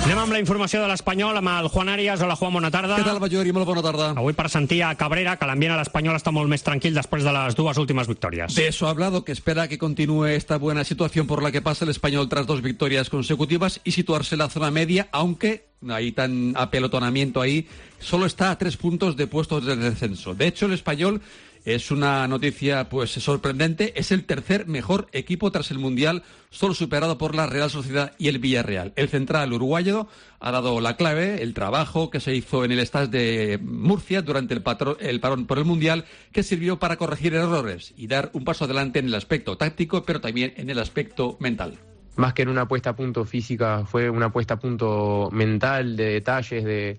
Anem amb la informació de l'Espanyol, amb el Juan Arias. Hola, Juan, bona tarda. Què tal, Ballori? Molt bona tarda. Avui per sentir a Cabrera, que l'ambient a l'Espanyol està molt més tranquil després de les 2 últimas victorias. De eso ha hablado, que espera que continúe esta buena situación por la que pasa el Español tras 2 victorias consecutivas y situarse en la zona media, aunque hay tan apelotonamiento ahí, solo está a 3 puntos de puestos de descenso. De hecho, el Español... Es una noticia pues sorprendente. Es el tercer mejor equipo tras el Mundial, solo superado por la Real Sociedad y el Villarreal. El central uruguayo ha dado la clave, el trabajo que se hizo en el Stade de Murcia durante el parón por el Mundial, que sirvió para corregir errores y dar un paso adelante en el aspecto táctico, pero también en el aspecto mental. Más que en una puesta a punto física, fue una puesta a punto mental, de detalles, de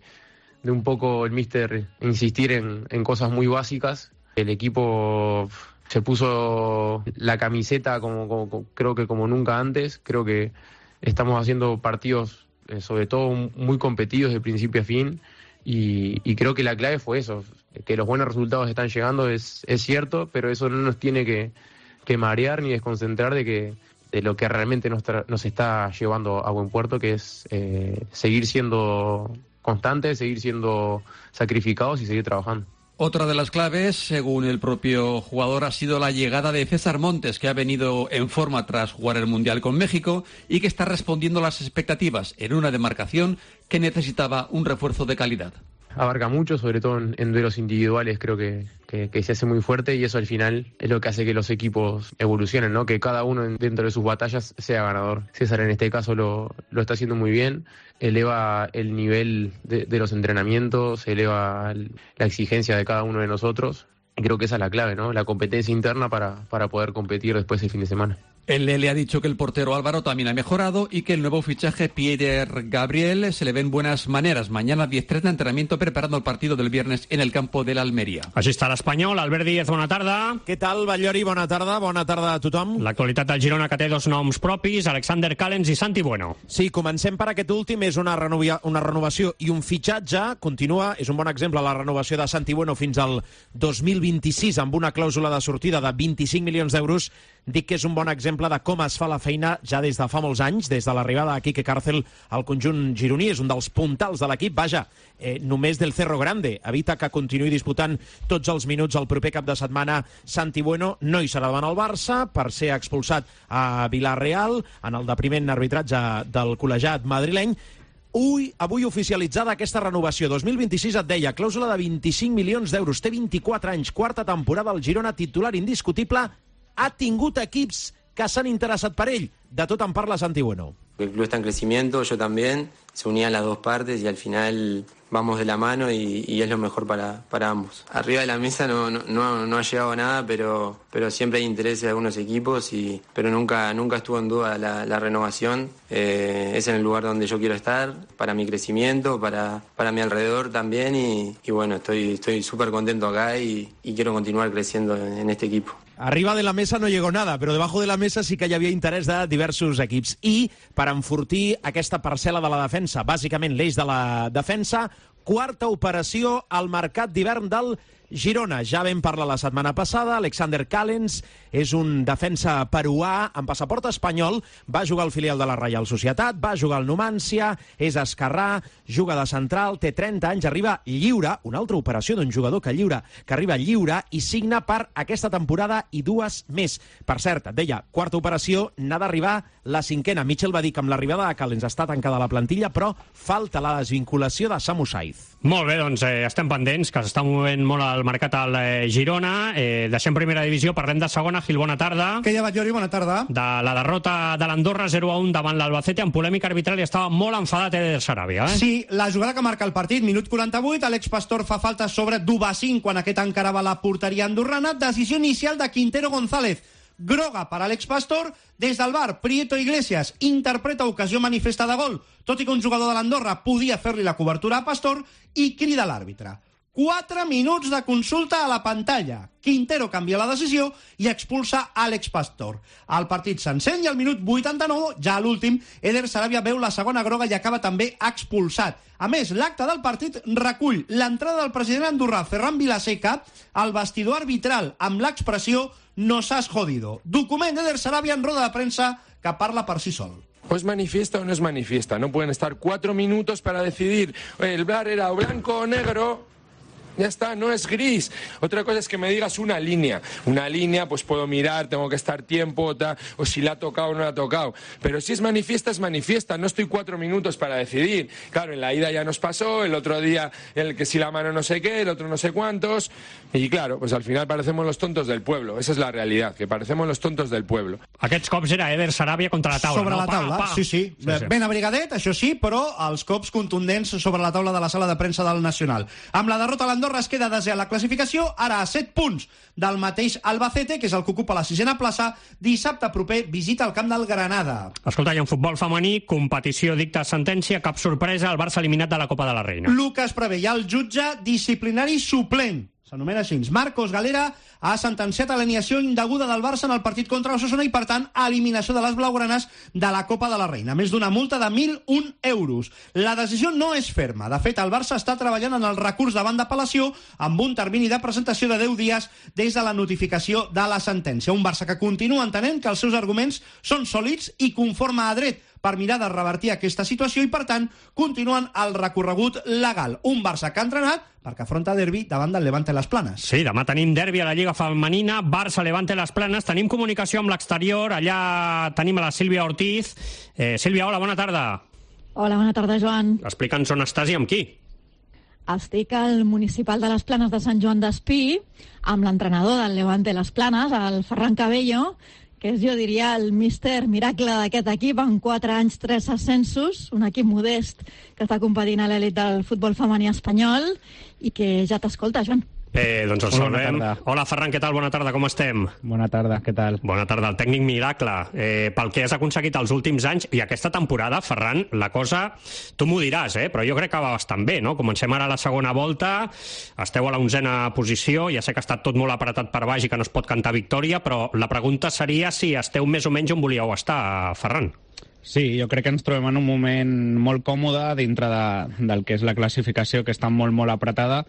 un poco el míster insistir en cosas muy básicas. El equipo se puso la camiseta creo que como nunca antes. Creo que estamos haciendo partidos, sobre todo muy competidos de principio a fin, y creo que la clave fue eso, que los buenos resultados están llegando, es cierto, pero eso no nos tiene que marear ni desconcentrar de lo que realmente nos está llevando a buen puerto, que es seguir siendo constantes, seguir siendo sacrificados y seguir trabajando. Otra de las claves, según el propio jugador, ha sido la llegada de César Montes, que ha venido en forma tras jugar el Mundial con México y que está respondiendo a las expectativas en una demarcación que necesitaba un refuerzo de calidad. Abarca mucho, sobre todo en duelos individuales, creo que se hace muy fuerte, y eso al final es lo que hace que los equipos evolucionen, ¿no? Que cada uno dentro de sus batallas sea ganador. César en este caso lo está haciendo muy bien, eleva el nivel de los entrenamientos, eleva la exigencia de cada uno de nosotros, y creo que esa es la clave, ¿no? La competencia interna para poder competir después el fin de semana. El Lele ha dicho que el portero Álvaro también ha mejorado y que el nuevo fichaje Pierre Gabriel se le ven buenas maneras. Mañana 10:30 de entrenamiento preparando el partido del viernes en el campo de l'Almeria. Així està l'Espanyol. Albert Díez, bona tarda. Què tal, Batllori? Bona tarda a tothom. L'actualitat del Girona, que té dos noms propis, Alexander Callens i Santi Bueno. Sí, comencem per aquest últim. És una renovació i un fitxatge. Continua, és un bon exemple, la renovació de Santi Bueno fins al 2026 amb una clàusula de sortida de 25 milions d'euros. Dic que és un bon exemple de com es fa la feina ja des de fa molts anys, des de l'arribada de Quique Cárcel al conjunt gironí. És un dels puntals de l'equip. Vaja, només del Cerro Grande evita que continuï disputant tots els minuts el proper cap de setmana Santi Bueno. No hi serà davant el Barça per ser expulsat a Villarreal en el depriment arbitratge del col·legiat madrileny. Avui oficialitzada aquesta renovació. 2026 et deia, clàusula de 25 milions d'euros. Té 24 anys, quarta temporada al Girona, titular indiscutible. Ha tingut equips que s'han interessat per ell. De tot en parla Santi Bueno. El club está en crecimiento, yo también. Se unían las dos partes y al final vamos de la mano y es lo mejor para ambos. Arriba de la mesa no ha llegado nada, pero siempre hay interés de algunos equipos, pero nunca estuvo en duda la renovación. Es en el lugar donde yo quiero estar, para mi crecimiento, para mi alrededor también y bueno, estoy súper contento acá y quiero continuar creciendo en este equipo. Arriba de la mesa no llegó nada, però debajo de la mesa sí que hi havia interès de diversos equips. I per enfortir aquesta parcel·la de la defensa, bàsicament l'eix de la defensa, quarta operació al mercat d'hivern del Girona. Ja vam parlar la setmana passada, Alexander Callens és un defensa peruà amb passaport espanyol, va jugar al filial de la Reial Societat, va jugar al Numancia, és esquerrà, juga de central, té 30 anys, arriba lliure, una altra operació d'un jugador que arriba lliure i signa per aquesta temporada i 2 més. Per cert, et deia, quarta operació, n'ha d'arribar la 5a. Mitchell va dir que amb l'arribada de Callens està tancada la plantilla, però falta la desvinculació de Samu Saiz. Molt bé, doncs estem pendents, que s'està movent molt el mercat al Girona. Deixem primera divisió, parlem de segona. Gil, bona tarda. Què hi ha, Batllori? Bona tarda. De la derrota de l'Andorra 0-1 davant l'Albacete en polèmica arbitral i estava molt enfadat Eder Sarabia. Sí, la jugada que marca el partit, minut 48, Àlex Pastor fa falta sobre Dubasín quan aquest encarava la porteria andorrana. Decisió inicial de Quintero González. Groga per Àlex Pastor. Des del VAR, Prieto Iglesias interpreta ocasió manifesta de gol, tot i que un jugador de l'Andorra podia fer-li la cobertura a Pastor, i crida l'àrbitre. 4 minuts de consulta a la pantalla. Quintero canvia la decisió i expulsa Àlex Pastor. El partit s'encén i al minut 89, ja a l'últim, Eder Sarabia veu la segona groga i acaba també expulsat. A més, l'acte del partit recull l'entrada del president andorrà, Ferran Vilaseca, al vestidor arbitral amb l'expressió «Nos has jodido». Document d'Eder Sarabia en roda de premsa que parla per si sol. ¿O es manifiesta o no es manifiesta? No pueden estar 4 minutos para decidir el VAR era o blanco o negro. Ya está, no es gris. Otra cosa es que me digas una línea. Una línea, pues puedo mirar, tengo que estar tiempo, o si la ha tocado o no la ha tocado. Pero si es manifiesta. No estoy 4 minutos para decidir. Claro, en la ida ya nos pasó, el otro día el que si la mano no sé qué, el otro no sé cuántos. Y claro, pues al final parecemos los tontos del pueblo. Esa es la realidad, que parecemos los tontos del pueblo. Aquests cops era Eder Sarabia contra la taula, sobre la taula, sí. Ben abrigadet, això sí, però els cops contundents sobre la taula de la sala de premsa del Nacional. Amb la derrota a l'Andorra es queda desè a la classificació, ara a 7 punts del mateix Albacete, que és el que ocupa la 6a plaça. Dissabte proper visita el camp del Granada. Escolta, i en futbol femení, competició dicta sentència, cap sorpresa, el Barça eliminat de la Copa de la Reina. Lucas preveia el jutge disciplinari suplent. S'anomena així. Marcos Galera ha sentenciat l'alineació indeguda del Barça en el partit contra l'Osasuna i, per tant, eliminació de les blaugranes de la Copa de la Reina. Més d'una multa de 1.001 euros. La decisió no és ferma. De fet, el Barça està treballant en el recurs davant d'apel·lació amb un termini de presentació de 10 dies des de la notificació de la sentència. Un Barça que continua entenent que els seus arguments són sòlids i conforme a dret per mirar de revertir aquesta situació i, per tant, continuen el recorregut legal. Un Barça que ha entrenat perquè afronta derbi davant del Levante Las Planes. Sí, demà tenim derbi a la Lliga Femenina, Barça-Levante Las Planes. Tenim comunicació amb l'exterior, allà tenim a la Sílvia Ortiz. Sílvia, hola, bona tarda. Hola, bona tarda, Joan. Explica'ns on estàs i amb qui. Estic al municipal de les Planes de Sant Joan d'Espí, amb l'entrenador del Levante Las Planes, el Ferran Cabello, que és, jo diria, el míster miracle d'aquest equip, en 4 anys 3 ascensos, un equip modest que està competint a l'elit del futbol femení espanyol i que ja t'escolta, Joan. Doncs el saludem. Hola, Ferran, què tal? Bona tarda, com estem? Bona tarda, què tal? Bona tarda, el tècnic miracle. Pel que has aconseguit els últims anys i aquesta temporada, Ferran, la cosa, tu m'ho diràs, però jo crec que va bastant bé, no? Comencem ara la segona volta, esteu a la 11a posició, ja sé que ha estat tot molt apretat per baix i que no es pot cantar victòria, però la pregunta seria si esteu més o menys on volíeu estar, Ferran. Sí, jo crec que ens trobem en un moment molt còmode dintre del que és la classificació, que està molt, molt apretada,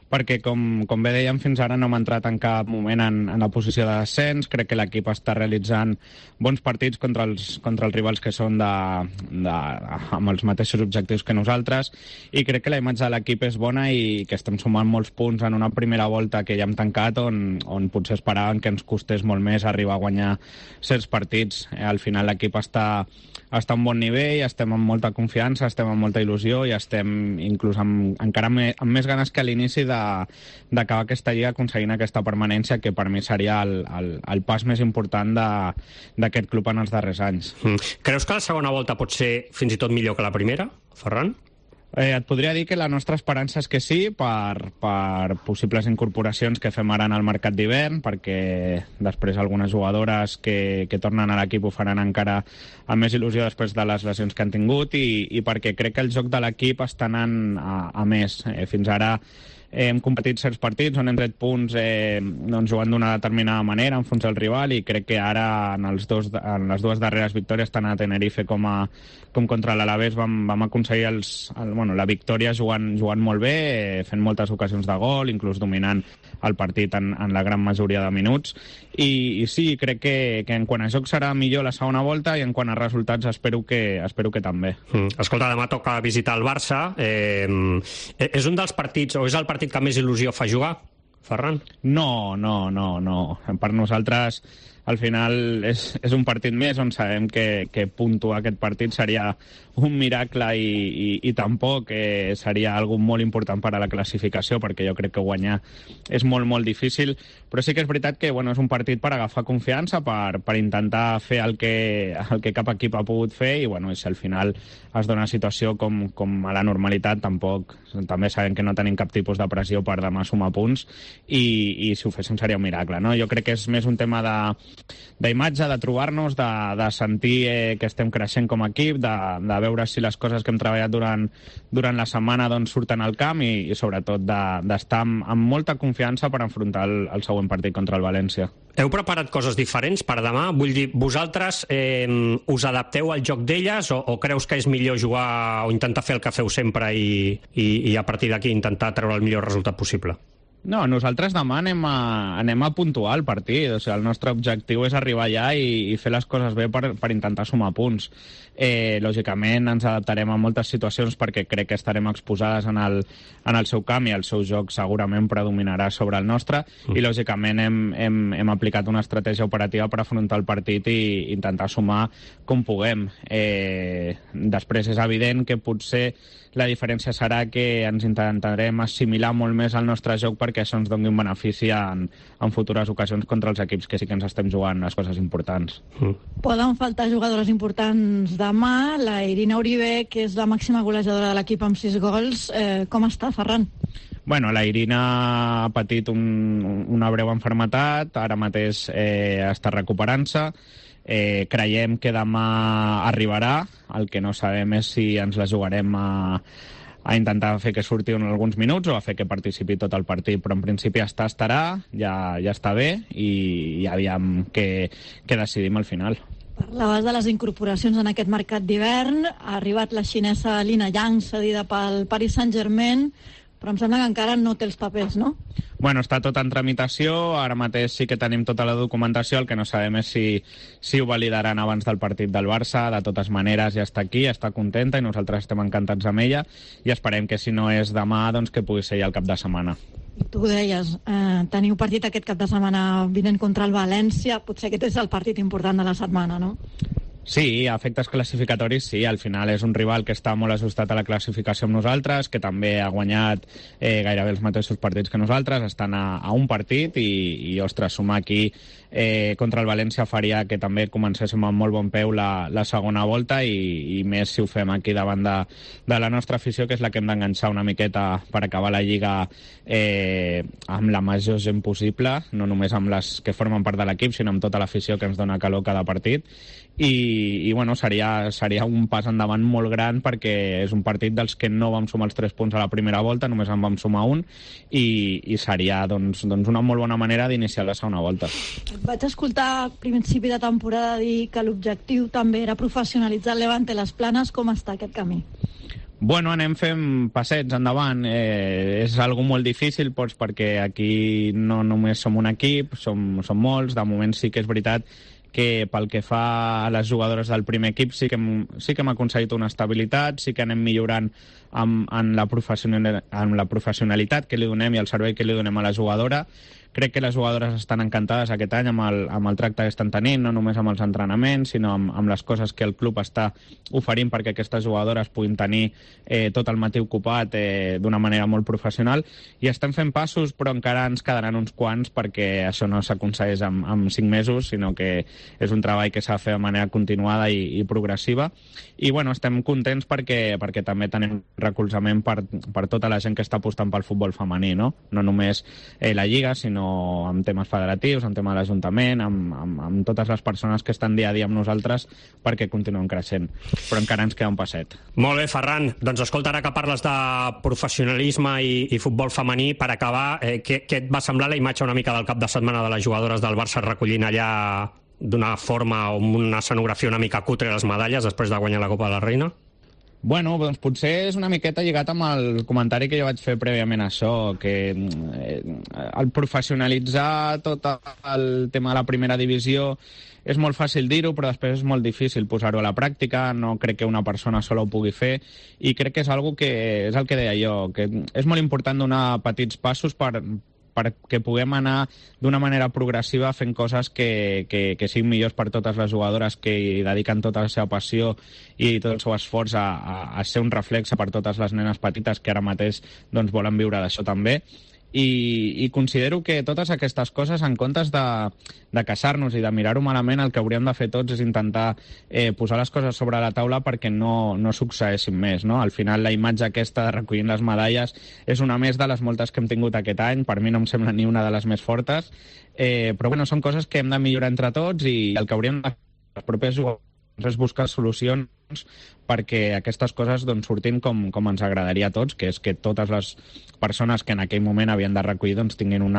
perquè, com bé dèiem, fins ara no hem entrat en cap moment en la posició de descens. Crec que l'equip està realitzant bons partits contra els rivals que són amb els mateixos objectius que nosaltres, i crec que la imatge de l'equip és bona i que estem sumant molts punts en una primera volta que ja hem tancat, on potser esperàvem que ens costés molt més arribar a guanyar certs partits. Al final l'equip està a un bon nivell, estem amb molta confiança, estem amb molta il·lusió i estem inclús encara amb més ganes que a l'inici d'acabar aquesta lliga aconseguint aquesta permanència, que per mi seria el pas més important d'aquest club en els darrers anys. Creus que la segona volta pot ser fins i tot millor que la primera, Ferran? Et podria dir que la nostra esperança és que sí, per possibles incorporacions que fem ara en el mercat d'hivern, perquè després algunes jugadores que tornen a l'equip ho faran encara amb més il·lusió després de les lesions que han tingut, i perquè crec que el joc de l'equip està anant a més. Fins ara hem competit certs partits on hem tret punts jugant d'una determinada manera, enfons el rival, i crec que ara en les dues darreres victòries, tant a Tenerife com contra l'Alavés, vam aconseguir la victòria jugant molt bé, fent moltes ocasions de gol, inclús dominant el partit en la gran majoria de minuts, i sí, crec que en quant a joc serà millor la segona volta, i en quant a resultats espero que també. Escolta, demà toca visitar el Barça. És un dels partits, o és el partit que més il·lusió fa jugar, Ferran? No. Per nosaltres, al final, és un partit més on sabem que puntuar aquest partit seria un miracle i tampoc seria algo molt important per a la classificació, perquè jo crec que guanyar és molt, molt difícil. Però sí que és veritat que és un partit per agafar confiança, per intentar fer el que cap equip ha pogut fer, i si al final es dona una situació com a la normalitat, també sabem que no tenim cap tipus de pressió per demà sumar punts, i si ho féssim seria un miracle, no? Jo crec que és més un tema d'imatge, de trobar-nos, de sentir que estem creixent com a equip, de veure si les coses que hem treballat durant la setmana surten al camp, i sobretot d'estar amb molta confiança per enfrontar el següent partit contra el València. Heu preparat coses diferents per demà? Vull dir, vosaltres us adapteu al joc d'elles, o creus que és millor jugar o intentar fer el que feu sempre i a partir d'aquí intentar treure el millor resultat possible? No, nosaltres demà anem a puntuar el partit. O sigui, el nostre objectiu és arribar allà i fer les coses bé per intentar sumar punts. Lògicament ens adaptarem a moltes situacions perquè crec que estarem exposades en el seu camp, i el seu joc segurament predominarà sobre el nostre, i lògicament hem aplicat una estratègia operativa per afrontar el partit i intentar sumar com puguem. Després és evident que potser la diferència serà que ens intentarem assimilar molt més al nostre joc perquè això ens doni un benefici en futures ocasions contra els equips que sí que ens estem jugant les coses importants. Poden faltar jugadores importants demà. La Irina Uribe, que és la màxima golejadora de l'equip amb 6 gols, com està, Ferran? Bueno, la Irina ha patit una breu malaltia, ara mateix està recuperant-se. Creiem que demà arribarà. El que no sabem és si ens la jugarem a intentar fer que surti en alguns minuts o a fer que participi tot el partit, però en principi estarà, ja està bé, i aviam què decidim al final. Parlaves de les incorporacions en aquest mercat d'hivern. Ha arribat la xinesa Lina Yang, cedida pel Paris Saint-Germain, però em sembla que encara no té els papers, no? Bueno, està tot en tramitació, ara mateix sí que tenim tota la documentació, el que no sabem és si ho validaran abans del partit del Barça. De totes maneres ja està aquí, està contenta i nosaltres estem encantats amb ella, i esperem que si no és demà, doncs que pugui ser ja el cap de setmana. Tu ho deies, teniu partit aquest cap de setmana vinent contra el València, potser aquest és el partit important de la setmana, no? Sí, a efectes classificatoris sí, al final és un rival que està molt ajustat a la classificació amb nosaltres, que també ha guanyat gairebé els mateixos partits que nosaltres, estan a un partit i ostres, sumar aquí contra el València faria que també comencéssim amb molt bon peu la segona volta i més si ho fem aquí davant de la nostra afició, que és la que hem d'enganxar una miqueta per acabar la Lliga amb la major gent possible, no només amb les que formen part de l'equip, sinó amb tota l'afició que ens dona calor cada partit. I bueno, seria un pas endavant molt gran perquè és un partit dels que no vam sumar els 3 punts a la primera volta, només en vam sumar un i seria doncs una molt bona manera d'iniciar la segona volta. Vaig escoltar a principi de temporada dir que l'objectiu també era professionalitzar el Levante Les Planes. Com està aquest camí? Bueno, anem fent passets endavant. És algo molt difícil perquè aquí no només som un equip, som molts. De moment sí que és veritat que pel que fa a les jugadores del primer equip sí que hem aconseguit una estabilitat, sí que anem millorant en la professionalitat que li donem i el servei que li donem a la jugadora. Crec que les jugadores estan encantades aquest any amb el tracte que estan tenint, no només amb els entrenaments, sinó amb les coses que el club està oferint perquè aquestes jugadores puguin tenir tot el matí ocupat d'una manera molt professional. I estem fent passos, però encara ens quedaran uns quants perquè això no s'aconsegueix amb 5 mesos, sinó que és un treball que s'ha de fer de manera continuada i progressiva. I bueno, estem contents perquè també tenim recolzament per tota la gent que està apostant pel futbol femení, no només la Lliga, sinó amb temes federatius, amb tema de l'Ajuntament, amb totes les persones que estan dia a dia amb nosaltres perquè continuem creixent. Però encara ens queda un passet. Molt bé, Ferran. Doncs escolta, ara que parles de professionalisme i futbol femení, per acabar, què et va semblar la imatge una mica del cap de setmana de les jugadores del Barça recollint allà d'una forma o amb una escenografia una mica cutre les medalles després de guanyar la Copa de la Reina? Bueno, doncs potser és una miqueta lligat amb el comentari que jo vaig fer prèviament a això, que el professionalitzar tot el tema de la primera divisió és molt fàcil dir-ho, però després és molt difícil posar-ho a la pràctica. No crec que una persona sola ho pugui fer i crec que és algo que és el que deia jo, que és molt important donar petits passos perquè puguem anar d'una manera progressiva fent coses que siguin millors per totes les jugadores que hi dediquen tota la seva passió i tot el seu esforç a ser un reflex per totes les nenes petites que ara mateix doncs, volen viure d'això també. I considero que totes aquestes coses, en comptes de queixar-nos i de mirar-ho malament, el que hauríem de fer tots és intentar posar les coses sobre la taula perquè no succeeixin més, no? Al final la imatge aquesta de recollint les medalles és una més de les moltes que hem tingut aquest any. Per mi no em sembla ni una de les més fortes, però bueno, són coses que hem de millorar entre tots i el que hauríem de fer els propers jugadors és buscar solucions perquè aquestes coses doncs, surtin com ens agradaria a tots, que és que totes les persones que en aquell moment havien de recollir doncs, tinguin un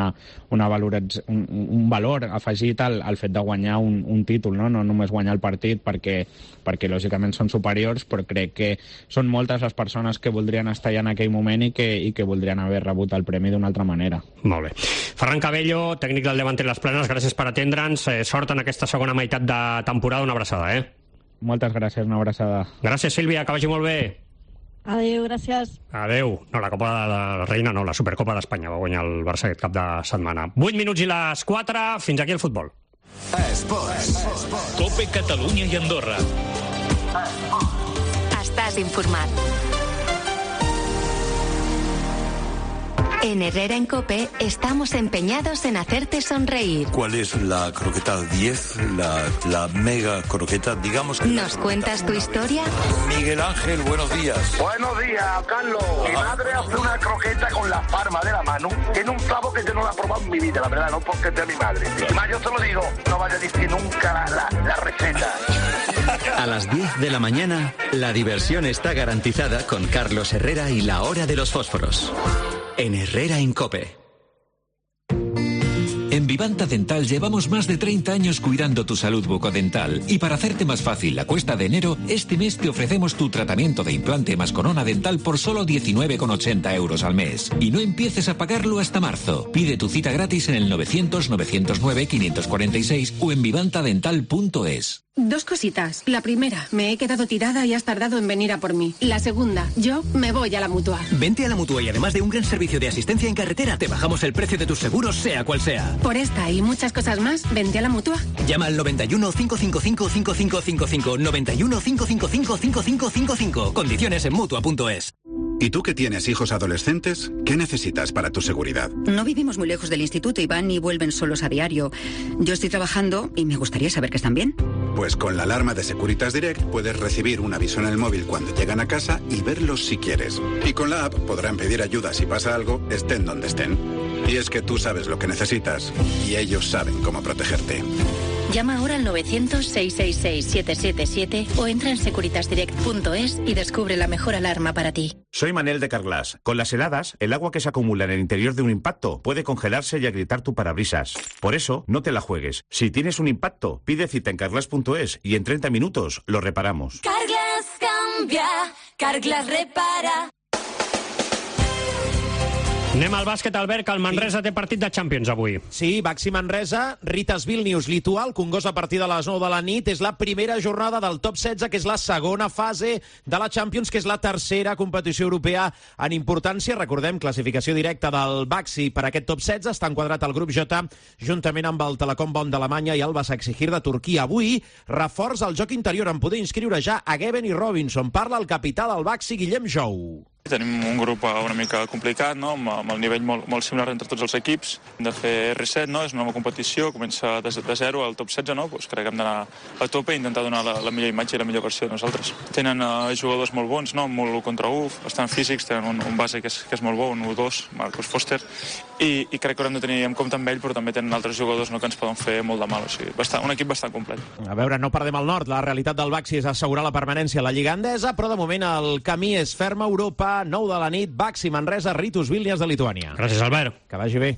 valor afegit al fet de guanyar un títol, no només guanyar el partit perquè lògicament són superiors, però crec que són moltes les persones que voldrien estar allà en aquell moment i que voldrien haver rebut el premi d'una altra manera. Molt bé. Ferran Cabello, tècnic del Levante Les Planes, gràcies per atendre'ns. Sort en aquesta segona meitat de temporada. Una abraçada, Moltes gràcies, una abraçada. Gràcies, Sílvia, que vagi molt bé. Adéu, gràcies. Adéu. No, la Copa de la Reina no, la Supercopa d'Espanya va guanyar el Barça aquest cap de setmana. 8 minuts i les 4, fins aquí el futbol. Esports. Cope Catalunya i Andorra. Estàs informat. En Herrera en Cope estamos empeñados en hacerte sonreír. ¿Cuál es la croqueta 10? La mega croqueta, digamos que... ¿Nos cuentas tu historia? Miguel Ángel, buenos días. Buenos días, Carlos. Mi madre hace una croqueta con la palma de la mano. Tiene un clavo que yo no la he probado en mi vida, la verdad, no porque es de mi madre. Y más yo te lo digo, no vaya a decir nunca la receta. A las 10 de la mañana, la diversión está garantizada con Carlos Herrera y la hora de los fósforos. En Herrera en Cope. En Vivanta Dental llevamos más de 30 años cuidando tu salud bucodental y para hacerte más fácil la cuesta de enero, este mes te ofrecemos tu tratamiento de implante más corona dental por solo 19,80 euros al mes. Y no empieces a pagarlo hasta marzo. Pide tu cita gratis en el 900-909-546 o en vivantadental.es. Dos cositas. La primera, me he quedado tirada y has tardado en venir a por mí. La segunda, yo me voy a la Mutua. Vente a la Mutua y además de un gran servicio de asistencia en carretera, te bajamos el precio de tus seguros, sea cual sea. Por esta y muchas cosas más, vente a la Mutua. Llama al 91 555 5555. 91 555 5555. Condiciones en Mutua.es. ¿Y tú que tienes hijos adolescentes? ¿Qué necesitas para tu seguridad? No vivimos muy lejos del instituto y van y vuelven solos a diario. Yo estoy trabajando y me gustaría saber que están bien. Pues con la alarma de Securitas Direct puedes recibir un aviso en el móvil cuando llegan a casa y verlos si quieres. Y con la app podrán pedir ayuda si pasa algo, estén donde estén. Y es que tú sabes lo que necesitas y ellos saben cómo protegerte. Llama ahora al 900-666-777 o entra en securitasdirect.es y descubre la mejor alarma para ti. Soy Manel de Carglass. Con las heladas, el agua que se acumula en el interior de un impacto puede congelarse y agrietar tu parabrisas. Por eso, no te la juegues. Si tienes un impacto, pide cita en carglass.es y en 30 minutos lo reparamos. Carglass cambia, Carglass repara. Anem al bàsquet, Albert, que el Manresa té partit de Champions avui. Sí, Baxi Manresa, Ritas Vilnius, Litual, Congost a partir de les 9 de la nit. És la primera jornada del top 16, que és la segona fase de la Champions, que és la tercera competició europea en importància. Recordem, classificació directa del Baxi per aquest top 16. Està enquadrat al grup J, juntament amb el Telecom Bonn d'Alemanya i el Başakşehir de Turquia. Avui, reforç al joc interior, en poder inscriure ja a Geben i Robinson. Parla el capità del Baxi, Guillem Jou. Tenim un grup una mica complicat, no? Amb el nivell molt similar entre tots els equips. Hem de fer reset, no? És una nova competició, comença de zero al top 16, no? Pues crec que hem d'anar a tope i intentar donar la millor imatge i la millor versió de nosaltres. Tenen jugadors molt bons, no? Molt 1 contra 1, bastant físics, tenen un base que és molt bo, un 1-2, Marcos Foster, i crec que haurem de tenir en compte amb ell, però també tenen altres jugadors, no?, que ens poden fer molt de mal. O sigui, un equip bastant complet. A veure, no perdem el nord. La realitat del Baxi és assegurar la permanència a la Lliga Endesa, però de moment el camí és ferm a Europa. 9 de la nit, Baxi Manresa, Ritus Vilnius de Lituània. Gràcies, Albert. Que vagi bé.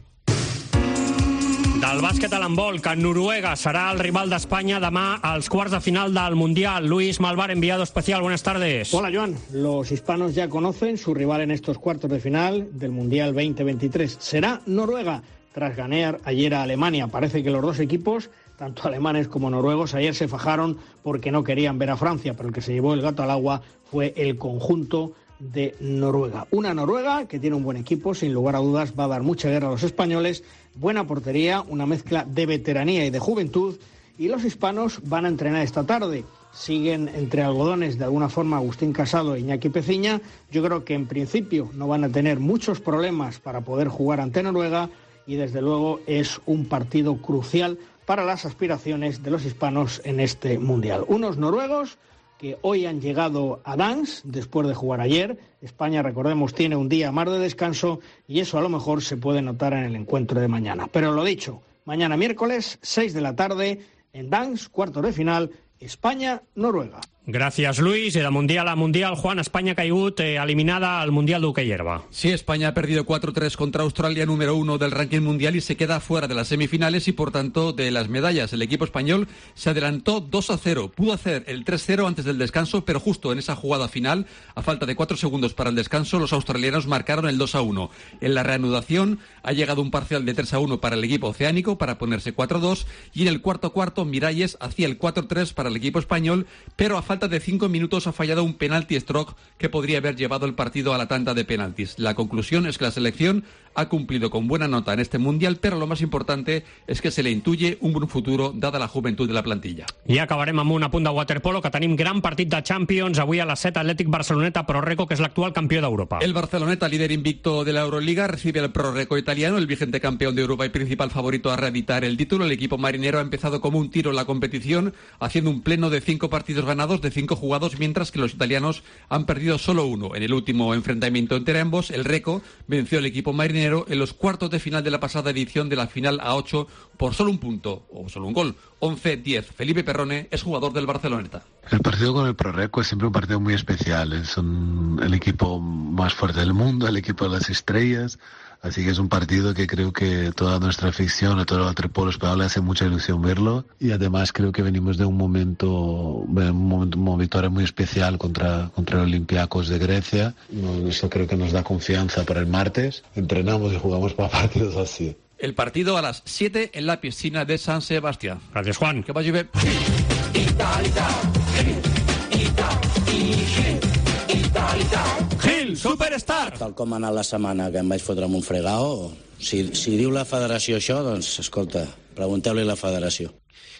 Del bàsquet a l'handbol, que Noruega serà el rival d'Espanya demà als quarts de final del Mundial. Luis Malvar, enviado especial, buenas tardes. Hola, Joan. Los hispanos ya conocen su rival en estos cuartos de final del Mundial 2023. Será Noruega, tras ganar ayer a Alemania. Parece que los dos equipos, tanto alemanes como noruegos, ayer se fajaron porque no querían ver a Francia, pero el que se llevó el gato al agua fue el conjunto de Noruega. Una Noruega que tiene un buen equipo, sin lugar a dudas va a dar mucha guerra a los españoles, buena portería, una mezcla de veteranía y de juventud, y los hispanos van a entrenar esta tarde. Siguen entre algodones de alguna forma Agustín Casado e Iñaki Peciña. Yo creo que en principio no van a tener muchos problemas para poder jugar ante Noruega y desde luego es un partido crucial para las aspiraciones de los hispanos en este Mundial. Unos noruegos que hoy han llegado a Dansk después de jugar ayer. España, recordemos, tiene un día más de descanso y eso a lo mejor se puede notar en el encuentro de mañana. Pero lo dicho, mañana miércoles, 6 de la tarde, en Dansk, cuartos de final, España-Noruega. Gràcies, Luis. De Mundial a Mundial, Juan, España ha caigut eliminada al Mundial d'Hockey Hierba. Sí, España ha perdido 4-3 contra Australia, número 1 del ranking mundial, y se queda fuera de las semifinales y, por tanto, de las medallas. El equipo español se adelantó 2-0. Pudo hacer el 3-0 antes del descanso, pero justo en esa jugada final, a falta de 4 segundos para el descanso, los australianos marcaron el 2-1. En la reanudación ha llegado un parcial de 3-1 para el equipo oceánico para ponerse 4-2, y en el cuarto Miralles hacía el 4-3 para el equipo español, pero a falta de 5 minutos ha fallado un penalti stroke que podría haber llevado el partido a la tanda de penaltis. La conclusión es que la selección ha cumplido con buena nota en este Mundial, però lo más importante es que se le intuye un buen futuro dada la juventud de la plantilla. I acabarem amb un apunt de waterpolo, que tenim gran partit de Champions. Avui a les 7, Atlètic Barceloneta, Prorreco, que és l'actual campió d'Europa. El Barceloneta, líder invicto de la Euroliga, recibe al Prorreco italiano, el vigente campeón de Europa y principal favorito a reeditar el título. El equipo marinero ha empezado como un tiro en la competición, haciendo un pleno de 5 partidos ganados de 5 jugados, mientras que los italianos han perdido solo 1. En el último enfrentamiento entre ambos, el Reco venció al equipo marinero en los cuartos de final de la pasada edición de la final a 8 por solo un punto, o solo un gol, 11-10. Felipe Perrone es jugador del Barceloneta. El partido con el Prorreco es siempre un partido muy especial. Son el equipo más fuerte del mundo, el equipo de las estrellas. Así que es un partido que creo que toda nuestra afición, a todo el waterpolo español, le hace mucha ilusión verlo. Y además creo que venimos de una victoria muy especial contra el Olympiacos de Grecia. Eso creo que nos da confianza para el martes. Entrenamos y jugamos para partidos así. El partido a las 7 en la piscina de San Sebastián. Gracias, Juan. Que vaya bien. Gil, Superstar. Tal com ha anat la setmana que em vaig fotre amb un fregao, si diu la federació això, doncs, escolta, pregunteu-li a la federació.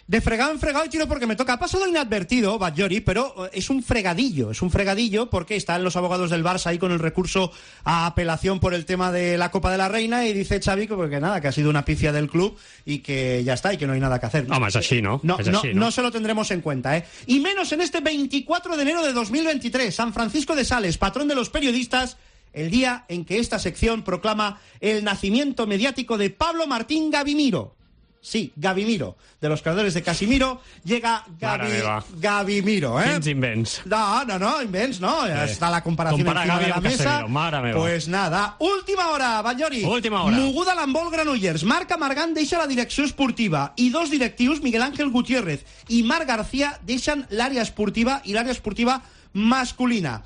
De fregado en fregado y tiro porque me toca. Ha pasado inadvertido, Batllori, pero es un fregadillo porque están los abogados del Barça ahí con el recurso a apelación por el tema de la Copa de la Reina y dice Xavi que nada, que ha sido una pifia del club y que ya está y que no hay nada que hacer. Home, és així, no? No se lo tendremos en cuenta, ¿eh? Y menos en este 24 de enero de 2023, San Francisco de Sales, patrón de los periodistas, el día en que esta sección proclama el nacimiento mediático de Pablo Martín Gavimiro. Sí, Gavimiro. De los creadores de Casimiro llega Gavimiro, ¿eh? Quins invents? No, invents, no. Está la comparación encima de la mesa. Pues nada. Última hora, Batllori. Última hora. Moguda l'handbol Granollers. Marc Amargant deixa la direcció esportiva i dos directius, Miguel Ángel Gutiérrez i Marc García, deixen l'àrea esportiva i l'àrea esportiva masculina.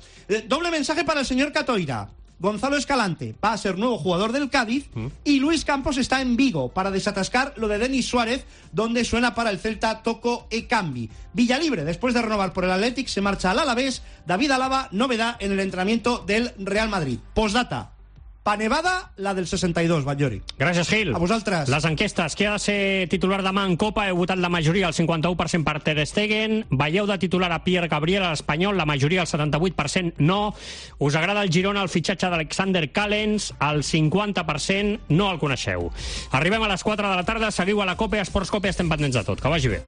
Doble mensaje para el señor Catoira. Gonzalo Escalante va a ser nuevo jugador del Cádiz y Luis Campos está en Vigo para desatascar lo de Denis Suárez, donde suena para el Celta Toco Ekambi. Villalibre, después de renovar por el Athletic, se marcha al Alavés. David Alaba, novedad en el entrenamiento del Real Madrid. Postdata. Panevada, la del 62, Batllori. Gràcies, Gil. A vosaltres. Les enquestes. Qui ha de ser titular demà en Copa? Heu votat la majoria, el 51% per Ter Stegen. Veieu de titular a Pierre Gabriel, a l'Espanyol, la majoria, el 78% no. Us agrada el Girona, el fitxatge d'Alexander Callens, el 50% no el coneixeu. Arribem a les 4 de la tarda, seguiu a la Copa, a Esports Copa, estem pendents de tot. Que vagi bé.